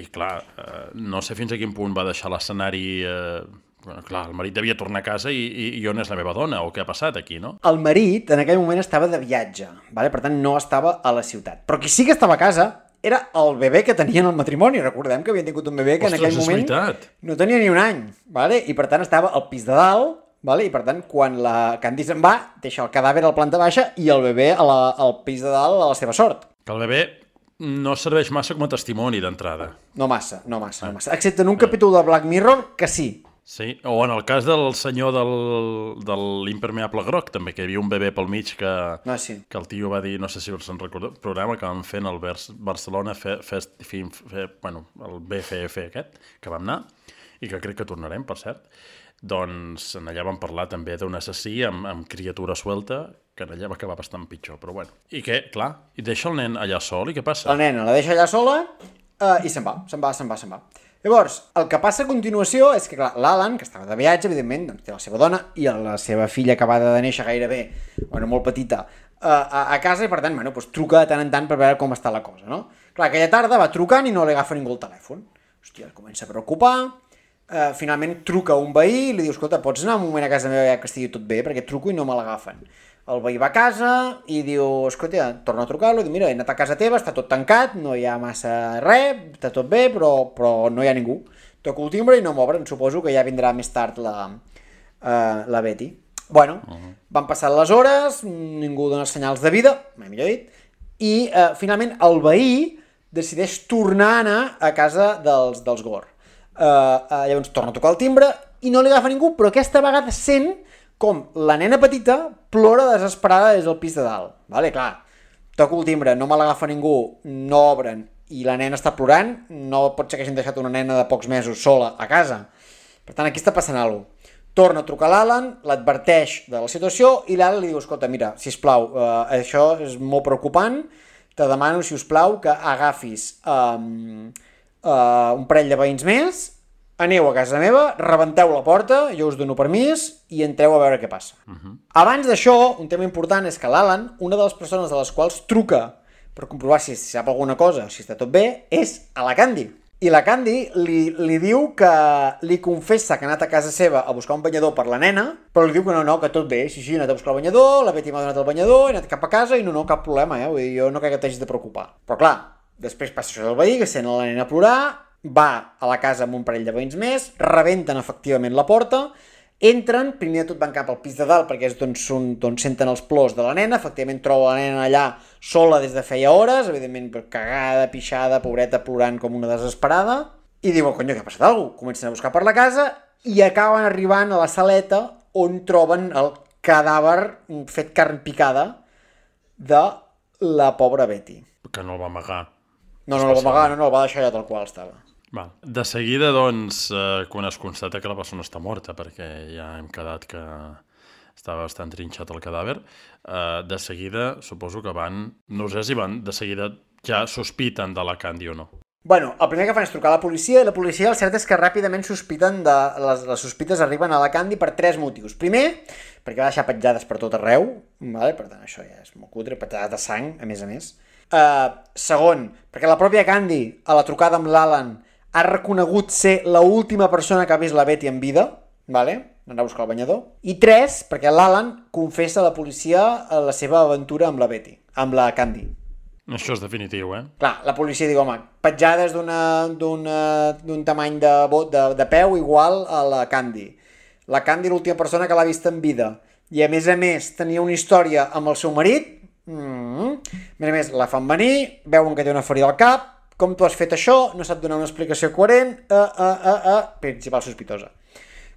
i clar, eh, no sé fins a quin punt va deixar l'escenari... Eh, bueno, clar, el marit devia tornar a casa i, i, i on és la meva dona, o què ha passat aquí, no? El marit en aquell moment estava de viatge, vale? Per tant no estava a la ciutat. Però qui sí que estava a casa era el bebè que tenien al matrimoni. Recordem que havien tingut un bebè que Ostres, en aquell és moment veritat. no tenia ni un any, vale? I per tant estava al pis de dalt, vale? I per tant quan la Candy se'n va, deixa el cadàver a la planta baixa i el bebè a la, al pis de dalt a la seva sort. Que el bebè no serveix massa com a testimoni d'entrada. No massa, no massa, no massa. Excepte en un capítol de Black Mirror, que sí. Sí, o en el cas del senyor del, de l'impermeable groc, també, que hi havia un bebè pel mig que, No, sí. que el tio va dir, no sé si us en recordeu, programa que vam fer en el Vers, Barcelona Fe, Fest, Film, Fe, bueno, el B F F aquest, que vam anar, i que crec que tornarem, per cert. Doncs en allà vam parlar també d'un assassí amb, amb criatura suelta, que en allà va acabar bastant pitjor, però bueno. I què? Clar, i deixa el nen allà sol, i què passa? La nena la deixa allà sola uh, i se'n va, se'n va, se'n va, se'n va. Llavors, el que passa a continuació és que, clar, l'Alan, que estava de viatge, evidentment, doncs, té la seva dona i la seva filla acabada de néixer gairebé, bueno, molt petita, uh, a, a casa, i per tant, bueno, doncs, truca de tant en tant per veure com està la cosa, no? Clar, aquella tarda va trucant i no li agafa ningú el telèfon. Hòstia, es comença a preocupar, uh, finalment truca un veí i li diu, escolta, pots anar un moment a casa meva ja que estigui tot bé, perquè truco i no me l'agafen. El veí va a casa i diu, escolta, torna a trucar-lo, i diu, mira, he anat a casa teva, està tot tancat, no hi ha massa res, està tot bé, però, però no hi ha ningú. Toco el timbre i no m'obren, suposo que ja vindrà més tard la, uh, la Betty. Bueno, uh -huh. van passar les hores, ningú dona senyals de vida, mai millor dit, i uh, finalment el veí decideix tornar a anar a casa dels, dels Gore. Uh, uh, llavors torna a tocar el timbre i no li agafa ningú, però aquesta vegada sent com la nena petita plora desesperada des del pis de dalt. Vale, clar, toco el timbre, no me l'agafa ningú, no obren, i la nena està plorant, no pot ser que hagin deixat una nena de pocs mesos sola a casa. Per tant, aquí està passant alguna cosa. Torna a trucar a l'Alan, l'adverteix de la situació, i l'Alan li diu, escolta, mira, sisplau, eh, això és molt preocupant, te demano, si us plau, que agafis um, uh, un parell de veïns més, aneu a casa meva, rebenteu la porta, jo us dono permís i entreu a veure què passa. Uh-huh. Abans d'això, un tema important és que l'Alan, una de les persones de les quals truca per comprovar si sap alguna cosa, si està tot bé, és a la Candy. I la Candy li, li diu que li confessa que ha anat a casa seva a buscar un banyador per la nena, però li diu que no, no, que tot bé, sí, sí, he anat a buscar el banyador, la Betty m'ha donat el banyador, he anat cap a casa i no, no, cap problema, eh? Vull dir, jo no crec que t'hagis de preocupar. Però clar, després passa això del veí, que sent la nena a plorar, va a la casa amb un parell de veïns més, rebenten efectivament la porta, entren, primer de tot van cap al pis de dalt perquè és d'on on senten els plors de la nena, efectivament troba la nena allà sola des de feia hores, evidentment cagada, pixada, pobreta, plorant com una desesperada, i diuen, conyo, què ha passat alguna cosa? Comencen a buscar per la casa i acaben arribant a la saleta on troben el cadàver fet carn picada de la pobra Betty. Que no el va amagar. No, no el va amagar, no, no, el va deixar allà tal qual estava. Val. De seguida, doncs, eh, quan es constata que la persona està morta, perquè ja hem quedat que estava bastant trinxat el cadàver, eh, de seguida suposo que van, no sé si van, de seguida ja sospiten de la Candy o no. Bueno, el primer que fan és trucar a la policia, i la policia el cert és que ràpidament sospiten de... Les, les sospites arriben a la Candy per tres motius. Primer, perquè va deixar petjades per tot arreu, vale? Per tant, això ja és molt cutre, petjades de sang, a més a més. Uh, segon, perquè la pròpia Candy, a la trucada amb l'Alan, ha reconegut ser l'última persona que ha vist la Betty en vida, vale? Anar a buscar el banyador. I tres, perquè l'Alan confessa a la policia la seva aventura amb la Betty, amb la Candy. Això és definitiu, eh? Clar, la policia diu, home, petjades d'un tamany de, de, de peu igual a la Candy. La Candy l'última persona que l'ha vist en vida. I a més a més tenia una història amb el seu marit. Mm-hmm. A més a més, la fan venir, veuen que té una ferida al cap. Com tu has fet això? No sap donar una explicació coherent. Uh, uh, uh, uh. Principal sospitosa.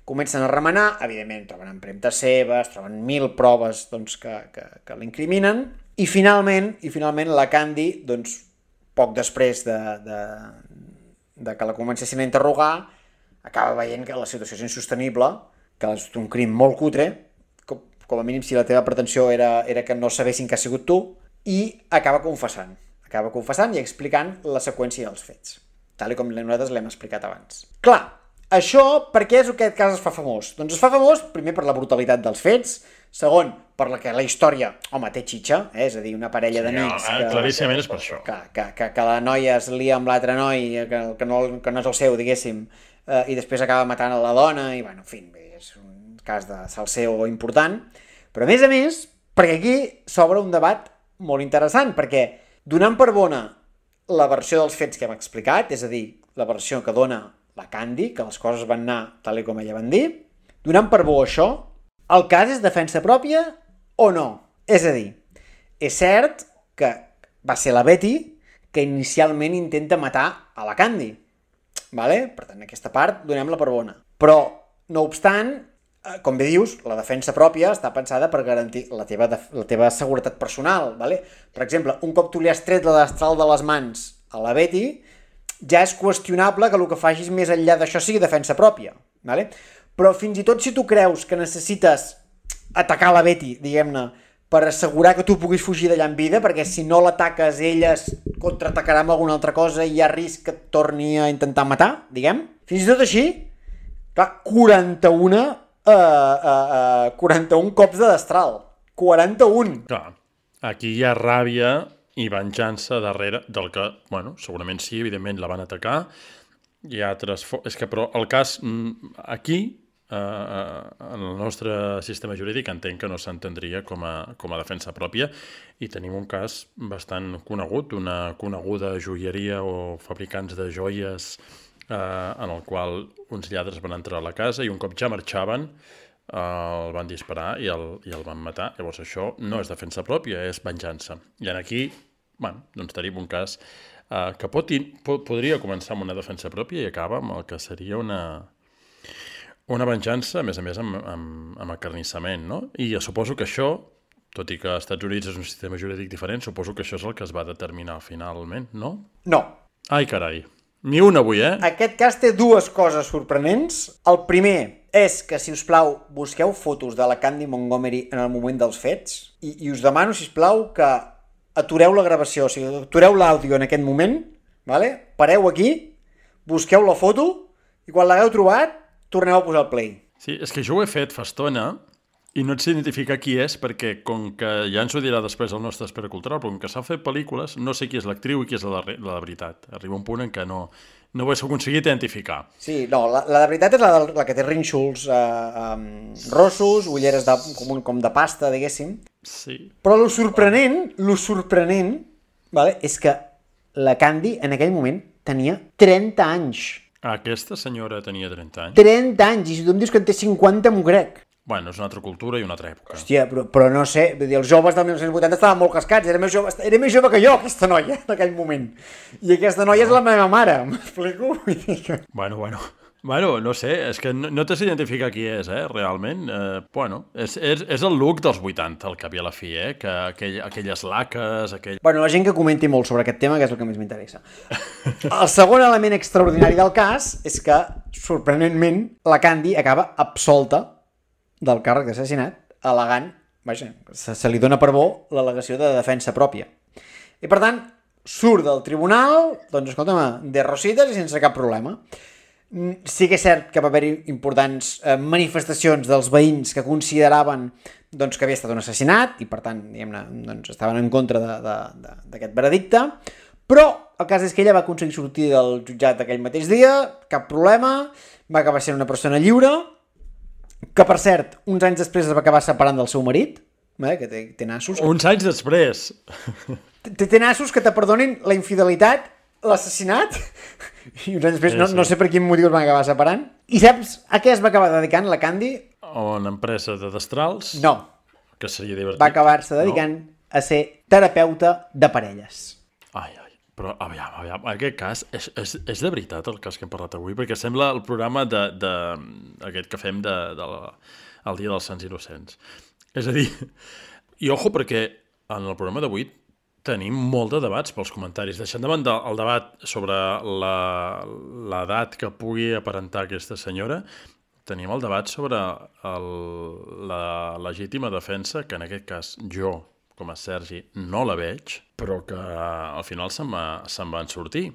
Comencen a remenar, evidentment troben empremtes seves, troben mil proves doncs, que, que, que l'incriminen, i finalment, i finalment la Candy, doncs, poc després de, de, de que la comencessin a interrogar, acaba veient que la situació és insostenible, que és un crim molt cutre, com, com a mínim si la teva pretensió era, era que no sabessin que ha sigut tu, i acaba confessant. Acaba confessant i explicant la seqüència dels fets, tal com nosaltres l'hem explicat abans. Clar, això per què és aquest cas es fa famós? Doncs es fa famós, primer, per la brutalitat dels fets, segon, per la que la història, home, té xitxa, eh? És a dir, una parella d'amics... Sí, que, claríssimament és per això. Que, que, que, que la noia es lia amb l'altre noi, que, que, no, que no és el seu, diguéssim, eh, i després acaba matant a la dona, i, bueno, en fi, és un cas de salseo important, però a més a més, perquè aquí s'obre un debat molt interessant, perquè donant per bona la versió dels fets que hem explicat, és a dir, la versió que dona la Candy, que les coses van anar tal com ella van dir, donant per bo això, el cas és defensa pròpia o no? És a dir, és cert que va ser la Betty que inicialment intenta matar a la Candy, vale? Per tant, aquesta part donem-la per bona. Però, no obstant, com bé dius, la defensa pròpia està pensada per garantir la teva, la teva seguretat personal, vale? Per exemple, un cop tu li has tret la destral de les mans a la Betty, ja és qüestionable que el que facis més enllà d'això sigui defensa pròpia, vale? Però fins i tot si tu creus que necessites atacar la Betty, diguem-ne, per assegurar que tu puguis fugir d'allà en vida, perquè si no l'ataques ella es contraatacarà amb alguna altra cosa i hi ha risc que et torni a intentar matar, diguem. Fins i tot així, clar, quaranta-una Uh, uh, uh, quaranta-un cops de destral. quaranta-un! Clar, aquí hi ha ràbia i venjança darrere del que, bueno, segurament sí, evidentment la van atacar. Hi ha altres... És que, però, el cas aquí, uh, en el nostre sistema jurídic, entenc que no s'entendria com a, com a defensa pròpia, i tenim un cas bastant conegut, una coneguda joieria o fabricants de joies Uh, en el qual uns lladres van entrar a la casa i un cop ja marxaven uh, el van disparar i el, i el van matar. Llavors això no és defensa pròpia, és venjança. I aquí, bueno, doncs tenim un cas uh, que pot, po podria començar amb una defensa pròpia i acaba amb el que seria una, una venjança, a més a més, amb, amb, amb acarnissament, no? I suposo que això, tot i que als Estats Units és un sistema jurídic diferent, suposo que això és el que es va determinar finalment, no? No. Ai, carai. Ni un avui, eh? Aquest cas té dues coses sorprenents. El primer és que, si us plau, busqueu fotos de la Candy Montgomery en el moment dels fets i, i us demano, si us plau, que atureu la gravació, o sigui, atureu l'àudio en aquest moment, vale? Pareu aquí, busqueu la foto i quan l'hagueu trobat, torneu a posar el play. Sí, és que jo ho he fet fa estona I no ets identificar qui és, perquè com que ja ens ho dirà després el nostre expert cultural, però com que s'ha fet pel·lícules, no sé qui és l'actriu i qui és la de, la de veritat. Arriba un punt en què no, no ho he aconseguit identificar. Sí, no, la, la de veritat és la, de, la que té rínxols eh, um, rossos, ulleres de, com, un, com de pasta, diguéssim. Sí. Però lo sorprenent, lo sorprenent, vale, és que la Candy en aquell moment tenia trenta anys. Aquesta senyora tenia trenta anys. trenta anys, i si tu em dius que en té cinquanta, m'ho crec. Bueno, és una altra cultura i una altra època. Hòstia, però, però no sé, vull dir, els joves del mil nou-cents vuitanta estaven molt cascats, era més jove, era més jove que jo, aquesta noia, en aquell moment. I aquesta noia és la meva mare, m'explico? Bueno, bueno, bueno, no sé, és que no, no t'has d'identificar qui és, eh, realment. Eh, bueno, és, és, és el look dels vuitanta, el cap i a la fi, eh, que aquell, aquelles laques, aquell... Bueno, la gent que comenti molt sobre aquest tema, que és el que més m'interessa. El segon element extraordinari del cas és que, sorprenentment, la Candy acaba absolta del càrrec d'assassinat, al·legant, vaja, se, se li dona per bo l'al·legació de defensa pròpia. I per tant, surt del tribunal, doncs escolta'm, de rosites i sense cap problema. Sí que és cert que va haver-hi importants eh, manifestacions dels veïns que consideraven doncs, que havia estat un assassinat i per tant, diguem-ne, doncs, estaven en contra d'aquest veredicte, però el cas és que ella va aconseguir sortir del jutjat aquell mateix dia, cap problema, va acabar sent una persona lliure, que per cert, uns anys després es va acabar separant del seu marit, eh, que té, té nassos. Uns anys després. Té, té nassos que te perdonin la infidelitat, l'assassinat, i uns anys després, sí, no, sí. no sé per quin motiu es van acabar separant. I saps a què es va acabar dedicant la Candy? A una empresa de destrals. No. Que seria divertit. Va acabar-se dedicant no? a ser terapeuta de parelles. Ai, ai. Però, aviam, aviam, en aquest cas, és, és, és de veritat el cas que hem parlat avui, perquè sembla el programa de, de, aquest que fem de, de la, el Dia dels Sants Innocents. És a dir, i ojo, perquè en el programa d'avui tenim molt de debats pels comentaris. Deixant de banda el debat sobre l'edat que pugui aparentar aquesta senyora, tenim el debat sobre el, la legítima defensa, que en aquest cas jo, com a Sergi, no la veig, però que al final se'n va, se'n van sortir.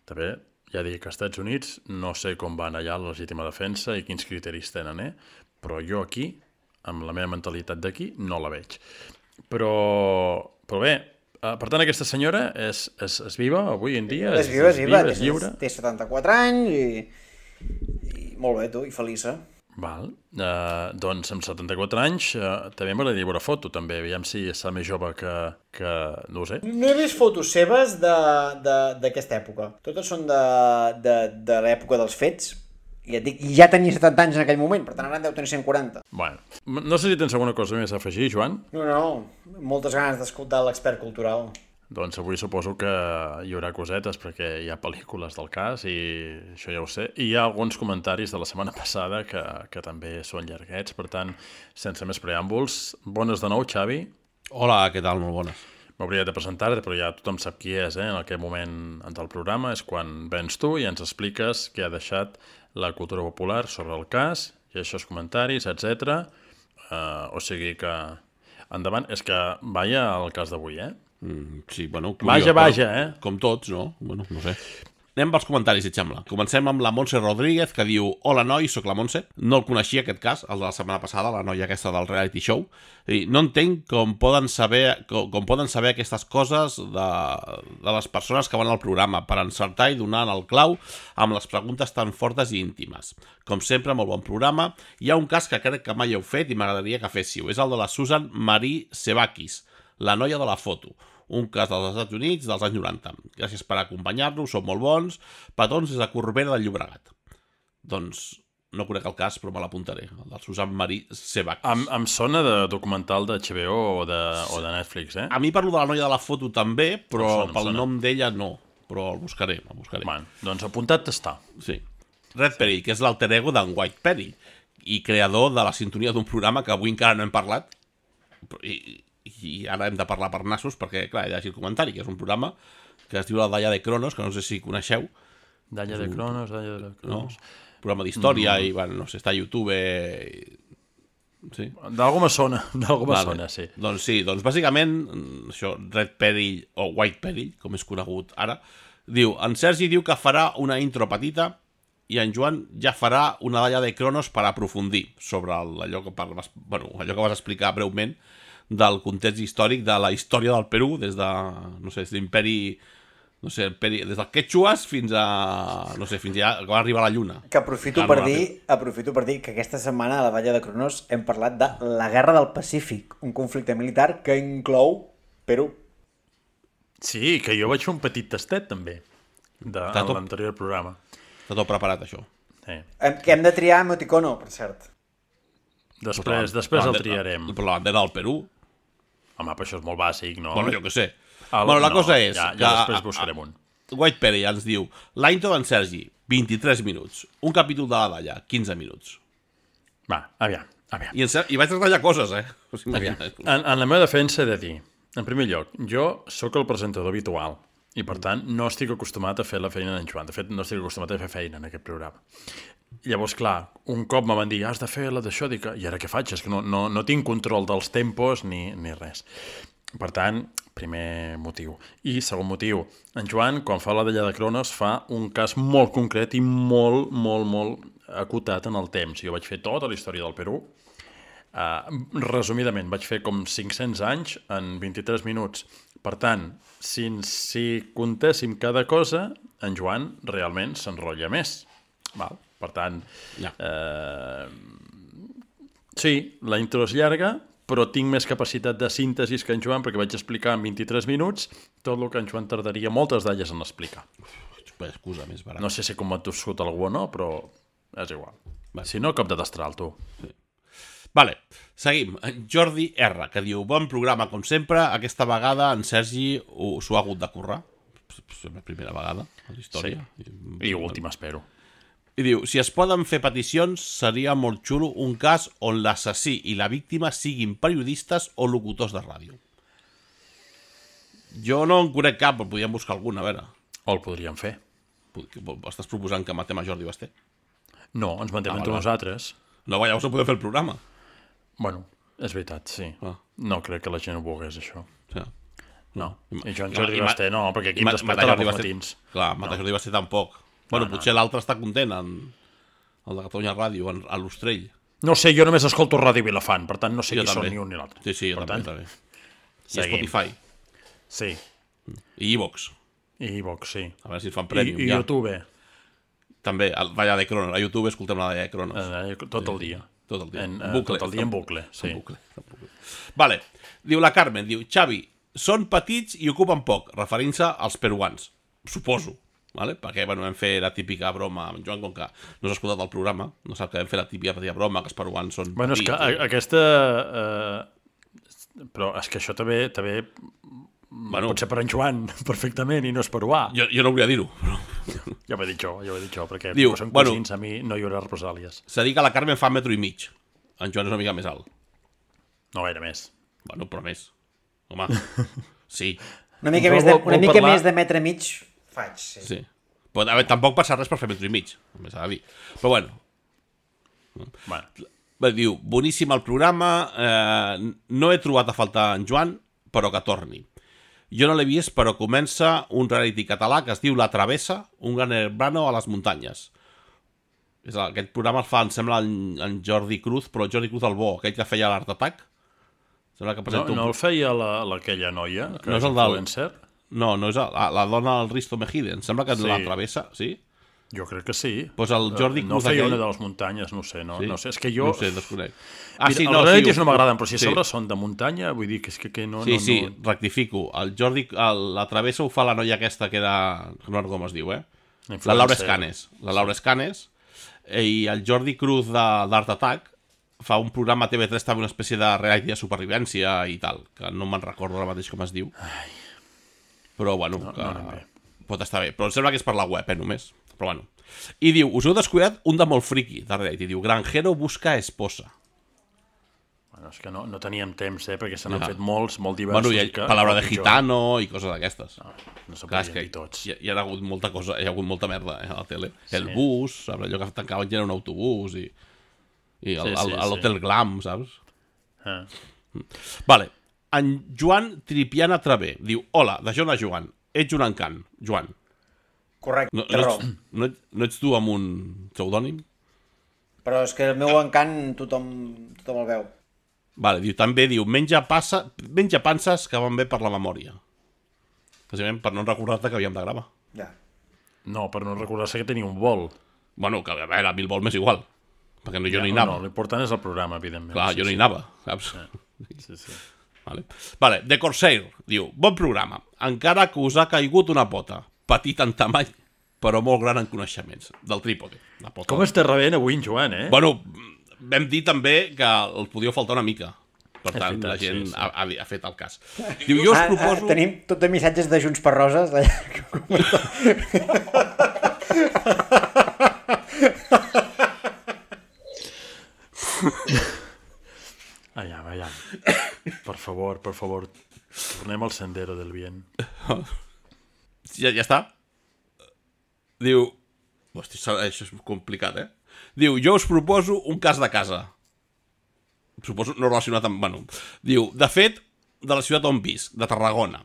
També, ja dic que als Estats Units no sé com van allà la legítima defensa i quins criteris tenen, eh? Però jo aquí, amb la meva mentalitat d'aquí, no la veig. Però, però bé, per tant, aquesta senyora és, és, és viva avui en dia? És viva, és viva, és lliure? Té setanta-quatre anys i, i molt bé, tu, i feliça. Val, uh, doncs amb setanta-quatre anys uh, també m'agradaria veure foto, també, aviam si és més jove que, que... no ho sé. No he vist fotos seves d'aquesta època. Totes són de, de, de l'època dels fets. I ja, dic, ja tenia setanta anys en aquell moment, per tant ara en deu tenir cent quaranta. Bueno, no sé si tens alguna cosa més a afegir, Joan? No, no, moltes ganes d'escoltar l'expert cultural. Doncs avui suposo que hi haurà cosetes perquè hi ha pel·lícules del cas i això ja ho sé. I hi ha alguns comentaris de la setmana passada que, que també són llarguets, per tant, sense més preàmbuls. Bones de nou, Xavi. Hola, què tal? Molt bones. M'hauria de presentar-te, però ja tothom sap qui és, eh? En aquest moment del programa és quan vens tu i ens expliques què ha deixat la cultura popular sobre el cas, i aquests comentaris, etcètera. Uh, o sigui que, endavant, és que vaja el cas d'avui, eh? Mm, sí, bueno, vaja, vaja, eh? Com tots, no? Bueno, no sé. Anem pels comentaris, si et sembla. Comencem amb la Montse Rodríguez, que diu: hola, noi, sóc la Montse. No el coneixia, aquest cas, el de la setmana passada, la noia aquesta del reality show. I no entenc com poden saber com, com poden saber aquestes coses de, de les persones que van al programa per encertar i donar el clau amb les preguntes tan fortes i íntimes. Com sempre, molt bon programa. Hi ha un cas que crec que mai heu fet i m'agradaria que féssiu. És el de la Susan Marie Sebakis, la noia de la foto. Un cas dels Estats Units dels anys noranta. Gràcies per acompanyar-nos, sou molt bons. Petons des de Corbera del Llobregat. Doncs no conec el cas, però me l'apuntaré. El del Susan Marie Sebakis. Em, em sona de documental de H B O o de, o de Netflix, eh? A mi parlo de la noia de la foto també, però sona, pel sona. nom d'ella no. Però el buscaré, el buscaré. Bueno, doncs apuntat està. Sí. Red Perry, que és l'alter ego d'en White Perry i creador de la sintonia d'un programa que avui encara no hem parlat. I... i ara hem de parlar per nassos perquè, clar, hi ha el comentari, que és un programa que es diu la Dalla de Cronos, que no sé si coneixeu. Dalla de Cronos, Dalla de Cronos... No? Programa d'història mm. i, bueno, no sé, està a YouTube... I... Sí? D'algú me sona, d'algú me vale. sona, sí. Doncs sí, doncs bàsicament, això, Red Perry, o White Perry, com és conegut ara, diu, en Sergi diu que farà una intro petita i en Joan ja farà una dalla de Cronos per aprofundir sobre allò que, parles, bueno, allò que vas explicar breument del context històric de la història del Perú des de, no sé, des de l'imperi, no sé, imperi, des del Quechuas fins a, no sé, fins ja que va arribar a la Lluna. Que aprofito per dir, aprofito per dir que aquesta setmana a la Valla de Cronos hem parlat de la Guerra del Pacífic, un conflicte militar que inclou Perú. Sí, que jo vaig fer un petit tastet, també, de, en tot... l'anterior programa. Està tot preparat, això. Sí. Hem, que hem de triar emoticono, per cert. Després, després la, el triarem. Per la bandera del Perú. Home, però això és molt bàsic, no? Bueno, jo què sé. El, bueno, la no, cosa és... Ja, que, ja després buscarem un. White Perry ens diu l'intro d'en Sergi, vint-i-tres minuts. Un capítol de la Dalla, quinze minuts. Va, aviam, aviam. I, en, i vaig retallar coses, eh? O sigui, aviam. En, en la meva defensa he de dir, en primer lloc, jo sóc el presentador habitual i, per tant, no estic acostumat a fer la feina d'en Joan. De fet, no estic acostumat a fer feina en aquest programa. Llavors, clar, un cop me van dir has de fer la d'això, dic, i ara què faig? És que no, no, no tinc control dels tempos ni, ni res. Per tant, primer motiu. I segon motiu, en Joan, quan fa la Dalla de Cronos, fa un cas molt concret i molt, molt, molt acotat en el temps. Jo vaig fer tota la història del Perú. Uh, resumidament, vaig fer com cinc-cents anys en vint-i-tres minuts. Per tant, si, si contéssim cada cosa, en Joan realment s'enrotlla més. Val? Per tant, ja. eh, sí, la intro és llarga, però tinc més capacitat de síntesis que en Joan, perquè vaig explicar en vint-i-tres minuts tot el que en Joan tardaria moltes d'elles en explicar. Excusa més barata. No sé si com t'ho escut algú o no, però és igual. Vale. Si no, cop de destral, tu. Sí. Vale, seguim. Jordi R, que diu, bon programa com sempre, aquesta vegada en Sergi s'ho ha hagut de currar. És la primera vegada a la història. Sí. I, I última, espero. I diu, si es poden fer peticions, seria molt xulo un cas on l'assassí i la víctima siguin periodistes o locutors de ràdio. Jo no en conec cap, però podríem buscar alguna, a veure. O el podríem fer. Estàs proposant que matem a Jordi Basté? No, ens matem ah, entre vale. nosaltres. No, llavors no podem fer el programa. Bueno, és veritat, sí. Ah. No crec que la gent ho volgués, això. Sí. No. I jo en Jordi Basté no, perquè aquí em despeta els matins. Clar, matar no. Jordi Basté tampoc. Bueno, no, potser no. L'altre està content, en, el de Catalunya Ràdio, en, a l'Ostrell. No sé, jo només escolto Ràdio Vilafant, per tant no sé jo qui també. Són ni un ni l'altre. Sí, sí, jo per també, tant, també. I Spotify. Sí. I iVox. I iVox, sí. A veure si ens fan prèmium, I, i ja. YouTube. També, a Dalla de Cronos. A YouTube escoltem la Dalla de Cronos. Eh, tot el dia. Tot el dia. En, en bucle. Tot el dia en bucle, sí. En bucle, en bucle. Vale. Diu la Carmen, diu, Xavi, són petits i ocupen poc, referint-se als peruans. Suposo. Vale? Perquè bueno, vam fer la típica broma amb Joan, com que no s'ha escoltat el programa, no sap que vam fer la típica broma que els peruans són bueno, petits. És que a, aquesta... Eh, però és que això també, també bueno, pot ser per en Joan, perfectament, i no és peruà. Jo, jo no volia dir-ho. Però... ja ho he dit jo, ja ho he dit jo, perquè diu, són bueno, cosins, a mi no hi haurà represàlies. S'ha dit que la Carmen fa metro i mig. En Joan és una mica més alt. No gaire més. Bueno, però més. Home, sí. Una mica, més de, una mica parlar... més de metre i mig... faig, sí. Sí. Però, a veure, tampoc passa res per fer metro i mig, només s'ha de dir. Però bueno. Bueno. Bé, diu, boníssim el programa, eh, no he trobat a faltar en Joan, però que torni. Jo no l'he vist, però comença un reality català que es diu La Travessa, un gran hermano a les muntanyes. És el, aquest programa el fa, em sembla, en, en Jordi Cruz, però Jordi Cruz el bo, aquell que feia l'Art Attack. Sembla que no, no un... el feia l'aquella la, noia, que no és és el del... influencer? No, no és la, la dona del Risto Mejide. Em sembla que sí. La travessa, sí? Jo crec que sí. Pues el Jordi Cruz no feia aquell... una de les muntanyes, no sé. No, sí? no sé, és que jo... No sé, desconec. Ah, Mira, sí, els no, realities sí, no m'agraden, però si a sobre sí. són de muntanya, vull dir que és que, que no... Sí, no, sí, no... rectifico. El Jordi, el, la travessa ho fa la noia aquesta que era... No recordo com es diu, eh? La Laura Escanes. La Laura Escanes. I el Jordi Cruz d'Art Attack fa un programa a T V tres, també una espècie de reality de supervivència i tal, que no me'n recordo ara mateix com es diu. Ai. Però, bueno, no, que no pot estar bé. Però em sembla que és per la web, eh, només. Però, bueno. I diu, us heu descuidat un de molt friqui, de reality. Diu, Granjero busca esposa. Bueno, és que no, no teníem temps, eh, perquè se n'han ja. fet molts, molt diversos. Bueno, hi ha que, paraula de gitano i coses d'aquestes. No, no se Clar, podien dir tots. Hi, hi ha hagut molta cosa, hi ha hagut molta merda eh, a la tele. Sí. El bus, saps? Allò que tancaven ja era un autobús i, i el, sí, sí, l'hotel sí. Glam, saps? Ah. Vale. En Joan Tripiana Travé diu, hola, de Joan a Joan, ets un encant, Joan. Correcte, No, té no, raó. ets, no, ets, no ets tu amb un pseudònim? Però és que el meu encant tothom, tothom el veu. Vale, diu, també diu, menja, passa, menja panses que van bé per la memòria. Bàsicament per no recordar-te que havíem de gravar. Ja. No, per no recordar-se que tenia un vol. Bueno, que a veure, a mi el vol m'és igual. Perquè no, jo ja, no hi anava. No, l'important és el programa, evidentment. Clar, sí, jo no sí. hi anava, saps? Sí, sí. Vale. Vale, The Corsair diu, bon programa, encara que us ha caigut una pota, petit en tamany, però molt gran en coneixements, del trípode. La pota. Com estàs rebent avui en Joan, eh? Bueno, vam dir també que el podíeu faltar una mica. Per És tant, veritat, la gent sí, sí. Ha, ha, ha fet el cas. Diu, jo us Ah, ah, proposo... tenim tot de missatges de Junts per Roses. Allà, allà. Per favor, per favor, tornem al sendero del bien. Ja, ja està? Diu... Hosti, això és complicat, eh? Diu, jo us proposo un cas de casa. Suposo no relacionat amb... Bueno, diu, de fet, de la ciutat on visc, de Tarragona.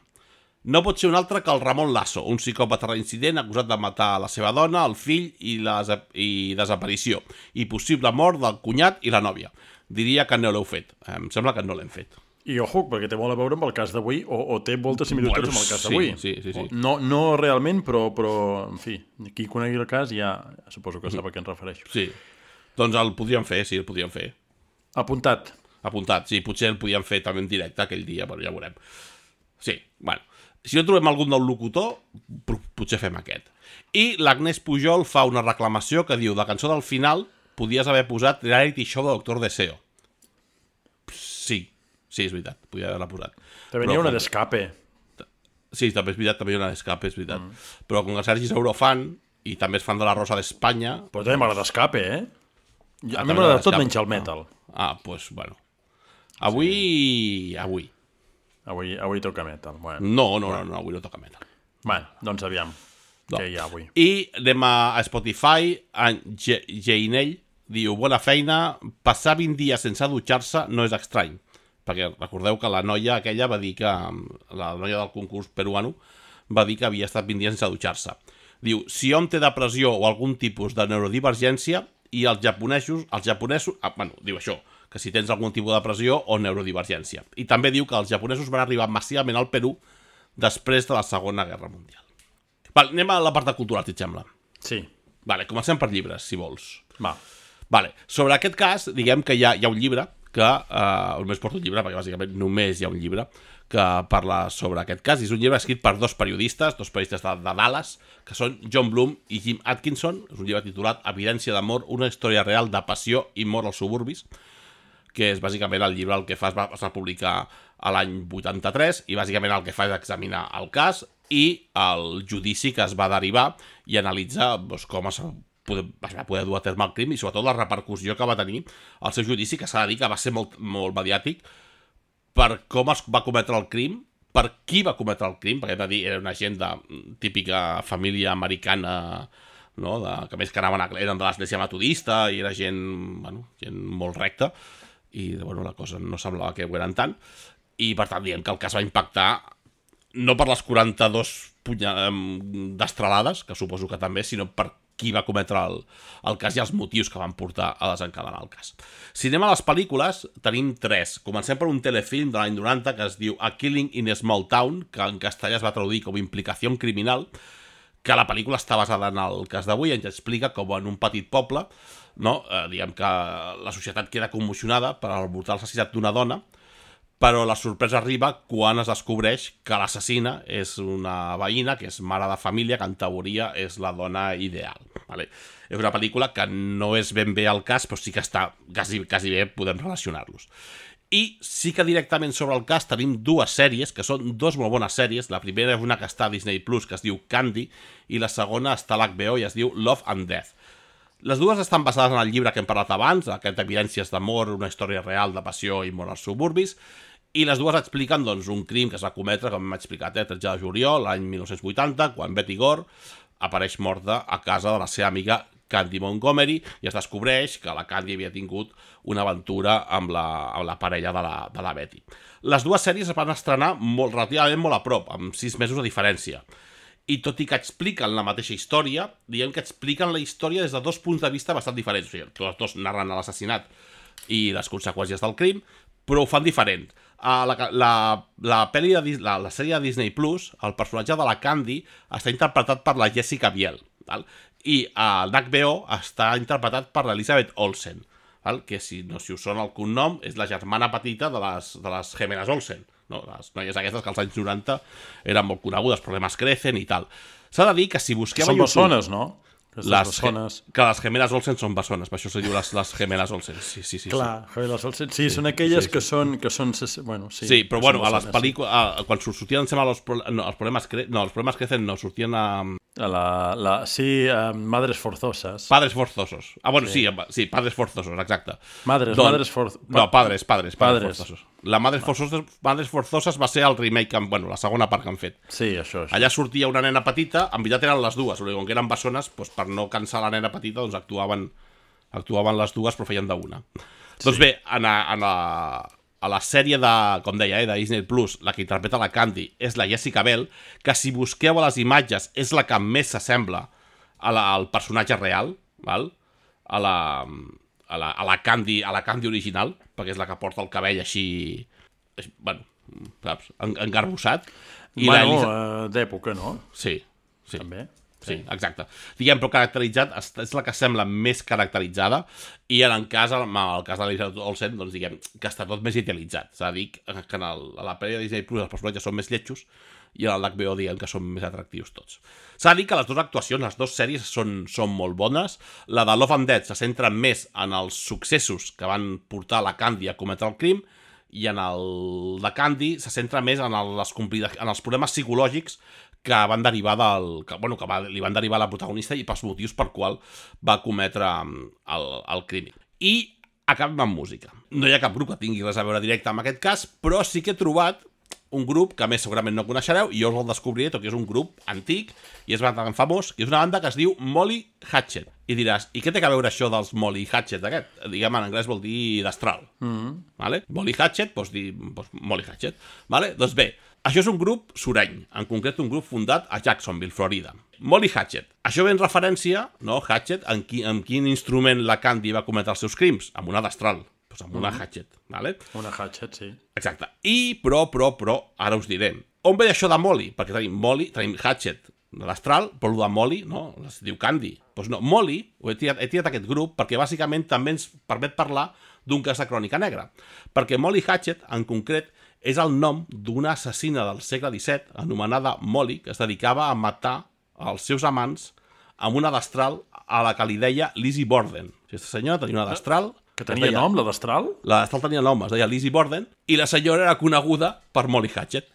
No pot ser un altre que el Ramon Lasso, un psicòpata reincident acusat de matar la seva dona, el fill i, la i desaparició, i possible mort del cunyat i la nòvia. Diria que no l'heu fet. Em sembla que no l'hem fet. I ojo, perquè té molt a veure amb el cas d'avui, o, o té moltes similituds Bueno, amb el cas sí, d'avui. sí, sí, sí. No, no realment, però, però, en fi, qui conegui el cas ja suposo que sap a què em refereixo. Sí. Doncs el podríem fer, sí, el podríem fer. Apuntat. Apuntat, sí, potser el podíem fer també en directe aquell dia, però ja veurem. Sí, bueno. Si no trobem algun nou locutor, potser fem aquest. I l'Agnès Pujol fa una reclamació que diu, la cançó del final podies haver posat reality show de Doctor Deseo. Sí, sí, és veritat, podia haver-la posat. També n'hi ha una d'escape. Sí, també és veritat, també hi ha una d'escape, és veritat. Mm. Però com que el Sergi és eurofan i també és fan de la Rosa d'Espanya... Però també m'agrada escape, eh? A Ah, mi també m'agrada d'escape. tot menys el metal. Ah, doncs, pues, bueno. Avui... Sí. Avui. Avui, avui toca metal. Bueno, No, no, no, no, avui no toca metal. bueno doncs aviam. No. Què hi ha avui? I anem a, a Spotify, en Jeinell diu, bona feina, passar vint dies sense dutxar-se no és estrany, perquè recordeu que la noia aquella va dir que, la noia del concurs peruano, va dir que havia estat vint dies sense dutxar-se. Diu, si hom té depressió o algun tipus de neurodivergència, i els japonesos, els japonesos, ah, bueno, diu això, que si tens algun tipus de depressió o neurodivergència. I també diu que els japonesos van arribar massivament al Perú després de la Segona Guerra Mundial. Vale, anem a la part de cultural, si et sembla. Sí, Vale, comencem per llibres, si vols. va. Vale, sobre aquest cas, diguem que hi ha, hi ha un llibre que, eh, només porto un llibre, perquè bàsicament només hi ha un llibre que parla sobre aquest cas, i és un llibre escrit per dos periodistes, dos periodistes de, de Dallas, que són John Bloom i Jim Atkinson. És un llibre titulat Evidència d'amor, una història real de passió i mort als suburbis, que és bàsicament el llibre el que fa es va, es va publicar a l'any vuitanta-tres, i bàsicament el que fa és examinar el cas i el judici que es va derivar i analitzar doncs, com es, poder, es va poder dur a terme el crim i sobretot la repercussió que va tenir el seu judici, que s'ha de dir que va ser molt, molt mediàtic per com es va cometre el crim, per qui va cometre el crim, perquè hem de dir, era una gent de típica família americana, no? de, que més que anaven a, eren de l'església metodista i era gent, bueno, gent molt recta, i bueno, la cosa no semblava que ho eren tant, i per tant diem que el cas va impactar no per les quaranta-dues destralades, que suposo que també, sinó per qui va cometre el, el cas i els motius que van portar a desencadenar el cas. Si anem a les pel·lícules, tenim tres. Comencem per un telefilm de l'any noranta que es diu A Killing in a Small Town, que en castellà es va traduir com Implicació criminal, que la pel·lícula està basada en el cas d'avui i ens explica com en un petit poble, no? eh, diguem que la societat queda commocionada per el brutal assassinat d'una dona, però la sorpresa arriba quan es descobreix que l'assassina és una veïna, que és mare de família, que en teoria és la dona ideal. Vale? És una pel·lícula que no és ben bé el cas, però sí que està quasi, quasi bé, podem relacionar-los. I sí que directament sobre el cas tenim dues sèries, que són dues molt bones sèries. La primera és una que està a Disney Plus, que es diu Candy, i la segona està a l'H B O i es diu Love and Death. Les dues estan basades en el llibre que hem parlat abans, aquest Evidències d'amor, una història real de passió i mort als suburbis, i les dues expliquen doncs, un crim que es va cometre, com hem explicat, eh, tretze de juliol, l'any mil nou-cents vuitanta, quan Betty Gore apareix morta a casa de la seva amiga Candy Montgomery i es descobreix que la Candy havia tingut una aventura amb la, amb la parella de la, de la Betty. Les dues sèries es van estrenar molt, relativament molt a prop, amb sis mesos de diferència. i tot i que expliquen la mateixa història, diguem que expliquen la història des de dos punts de vista bastant diferents. O sigui, tots dos narren l'assassinat i les conseqüències del crim, però ho fan diferent. A la, la, la, peli de, la, la sèrie de Disney Plus, el personatge de la Candy està interpretat per la Jessica Biel, val? I el d'H B O està interpretat per l'Elizabeth Olsen, val? Que si no si us sona el cognom és la germana petita de les, de les gemeles Olsen. No? Les noies aquestes que als anys noranta eren molt conegudes, Problemes Crecen i tal. S'ha de dir que si busqueu Són a YouTube... bessones, no? Les, bessones... Que les gemeles Olsen són bessones, per això se diu les, les gemeles Olsen. Sí, sí, sí. Clar, sí. Les Olsen. Sí, sí, són aquelles sí, sí. que són... Que són bueno, sí, sí, però bueno, a les pel·lícules... Sí. Quan sortien, em sembla, els, no, els problemes cre... no, els problemes crecen, no, sortien a... A la, la, sí, uh, Madres Forzosas. Padres Forzosos. Ah, bueno, sí, sí, sí Padres Forzosos, exacte. Madres, Don... Madres Forzosas. No, Padres, Padres, Padres, padres. Forzosos. La Madres Forzosas, Madres Forzosas va ser el remake, que, bueno, la segona part que han fet. Sí, això, això. Allà sortia una nena petita, en veritat eren les dues, com que eren bessones, doncs per no cansar la nena petita, doncs actuaven, actuaven les dues, però feien d'una. Sí. Doncs bé, en a, en a, a la sèrie de, com deia, eh, de Disney Plus, la que interpreta la Candy és la Jessica Biel, que si busqueu a les imatges és la que més s'assembla al personatge real, val? A la... A la, a la Candy a la Candy original, perquè és la que porta el cabell així, així bueno, saps, engarbussat. I bueno, Elisa... uh, d'època, no? Sí, sí. També. Sí, exacte. Diguem, però caracteritzat, és la que sembla més caracteritzada, i en el cas, en el cas de l'Elizabeth Olsen, doncs diguem que està tot més idealitzat. S'ha de dir que en el, a la pel·li de Disney Plus els personatges són més lletjos, i en l'H B O diguem que són més atractius tots. S'ha de dir que les dues actuacions, les dues sèries són, són molt bones. La de Love and Death se centra més en els successos que van portar la Candy a cometre el crim, i en el de Candy se centra més en, el, les en els problemes psicològics que van derivar del, que, bueno, que va, li van derivar a la protagonista i pels motius per qual va cometre el, el crim. I acabem amb música. No hi ha cap grup que tingui res a veure directe amb aquest cas, però sí que he trobat un grup que a més segurament no coneixereu, i jo us el descobriré, tot que és un grup antic i és bastant famós, que és una banda que es diu Molly Hatchet. I diràs, i què té a veure això dels Molly Hatchet aquest? Diguem, en anglès vol dir destral. Mm-hmm. Vale? Molly Hatchet, doncs dir doncs Molly Hatchet. Vale? Doncs bé, això és un grup sureny, en concret un grup fundat a Jacksonville, Florida. Molly Hatchet. Això ve en referència, no, Hatchet, en, qui, en quin instrument la Candy va cometre els seus crims? Amb una destral. Doncs amb una mm. hatchet, vale? Una hatchet, sí. Exacte. I, però, però, però, ara us diré. On ve això de Molly? Perquè tenim Molly, tenim hatchet de l'astral, però el de Molly, no? Es diu Candy. Doncs no, Molly, ho he tirat, he tirat aquest grup perquè bàsicament també ens permet parlar d'un cas de crònica negra. Perquè Molly Hatchet, en concret, és el nom d'una assassina del segle disset, anomenada Molly, que es dedicava a matar els seus amants amb una destral a la que li deia Lizzie Borden. Aquesta senyora tenia una destral... Que tenia deia, nom, la destral? La destral tenia nom, es deia Lizzie Borden, i la senyora era coneguda per Molly Hatchet.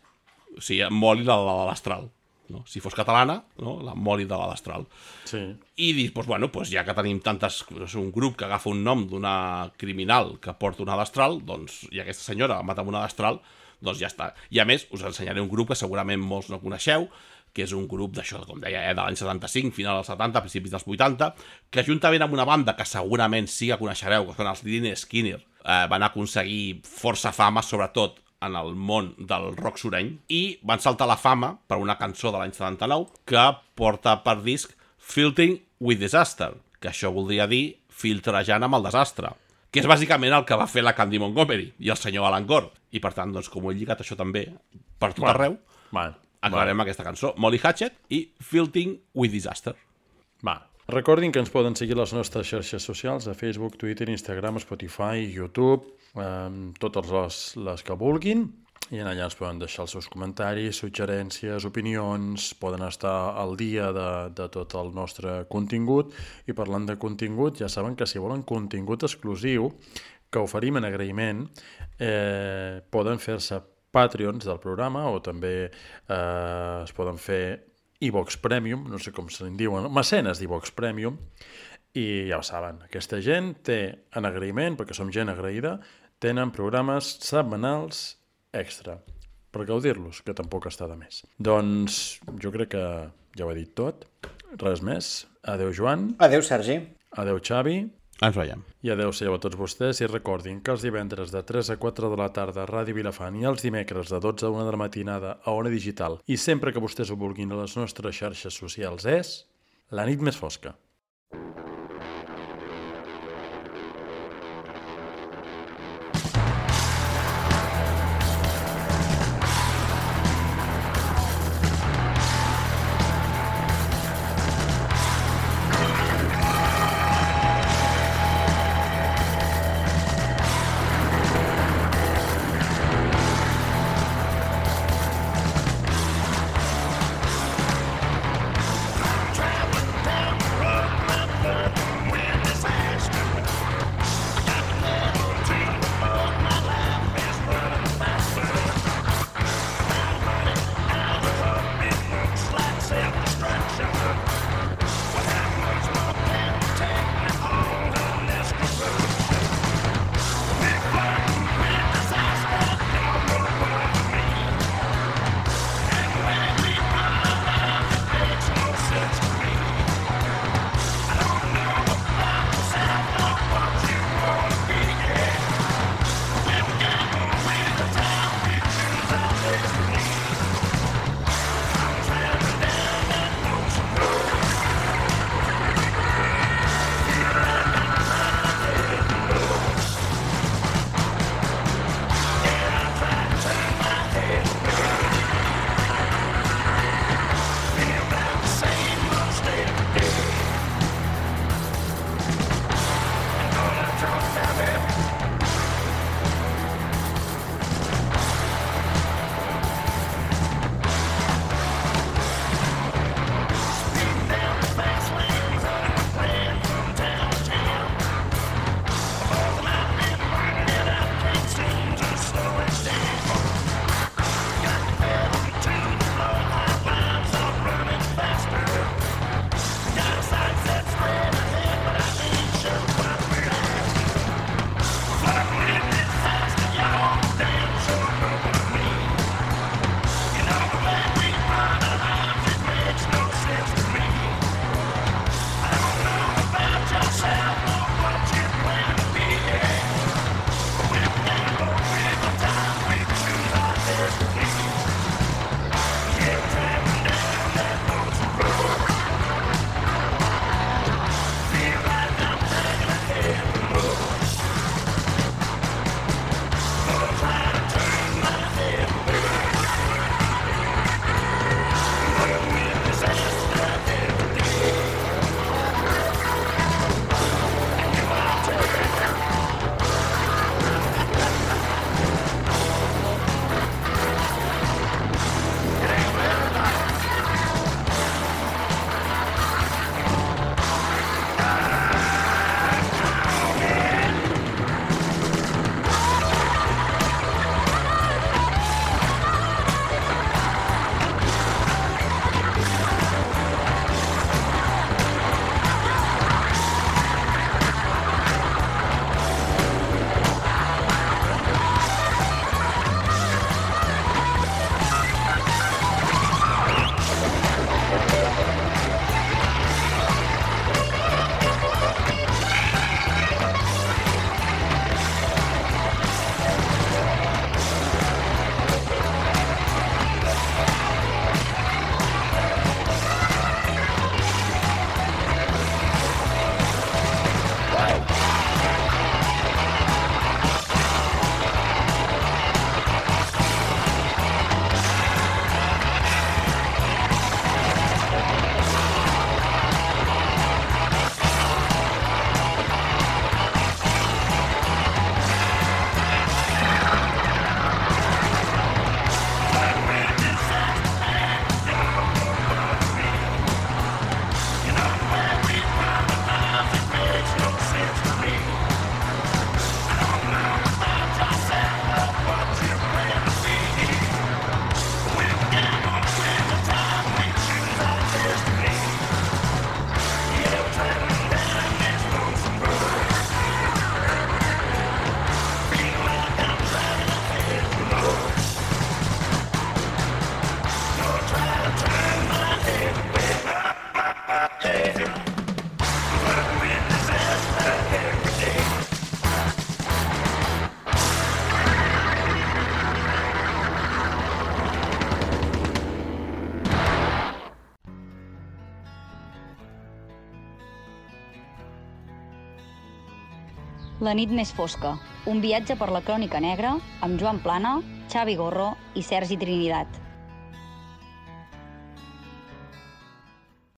O sigui, Molly la de la destral. No? Si fos catalana, no? La Molly de la destral. Sí. I dius, doncs, bueno, doncs ja que tenim tantes... un grup que agafa un nom d'una criminal que porta una destral, doncs, i aquesta senyora mata amb una destral, doncs ja està. I a més, us ensenyaré un grup que segurament molts no coneixeu, que és un grup d'això, com deia, eh, de l'any setanta-cinc, final dels setanta, principis dels vuitanta, que juntament amb una banda que segurament sí que coneixereu, que són els Lynyrd Skynyrd, eh, van aconseguir força fama, sobretot en el món del rock sureny, i van saltar la fama per una cançó de l'any setanta-nou que porta per disc Filtering with Disaster, que això voldria dir filtrejant amb el desastre, que és bàsicament el que va fer la Candy Montgomery i el senyor Alan Gore. I per tant, doncs, com ho he lligat això també per tot bueno, arreu, bueno, acabarem bueno. aquesta cançó. Molly Hatchet i Filtering with Disaster. Va. Recordin que ens poden seguir a les nostres xarxes socials, a Facebook, Twitter, Instagram, Spotify, YouTube, eh, totes les, les que vulguin, i allà ens poden deixar els seus comentaris, suggerències, opinions, poden estar al dia de, de tot el nostre contingut. I parlant de contingut, ja saben que si volen contingut exclusiu que oferim en agraïment, eh, poden fer-se Patreons del programa, o també eh, es poden fer iVox Premium, no sé com se'n diuen, mecenes d'iVox Premium, i ja ho saben, aquesta gent té, en agraïment, perquè som gent agraïda, tenen programes setmanals extra, per gaudir-los, que tampoc està de més. Doncs jo crec que ja ho he dit tot, res més. Adéu, Joan. Adéu, Sergi. Adéu, Xavi. Ens veiem. I adeu-siau a tots vostès i recordin que els divendres de tres a quatre de la tarda a Ràdio Vilafant i els dimecres de dotze a una de la matinada a Ona Digital i sempre que vostès ho vulguin a les nostres xarxes socials és La nit més fosca. Run! La nit més fosca, un viatge per la crònica negra amb Joan Plana, Xavi Gorro i Sergi Trinitat.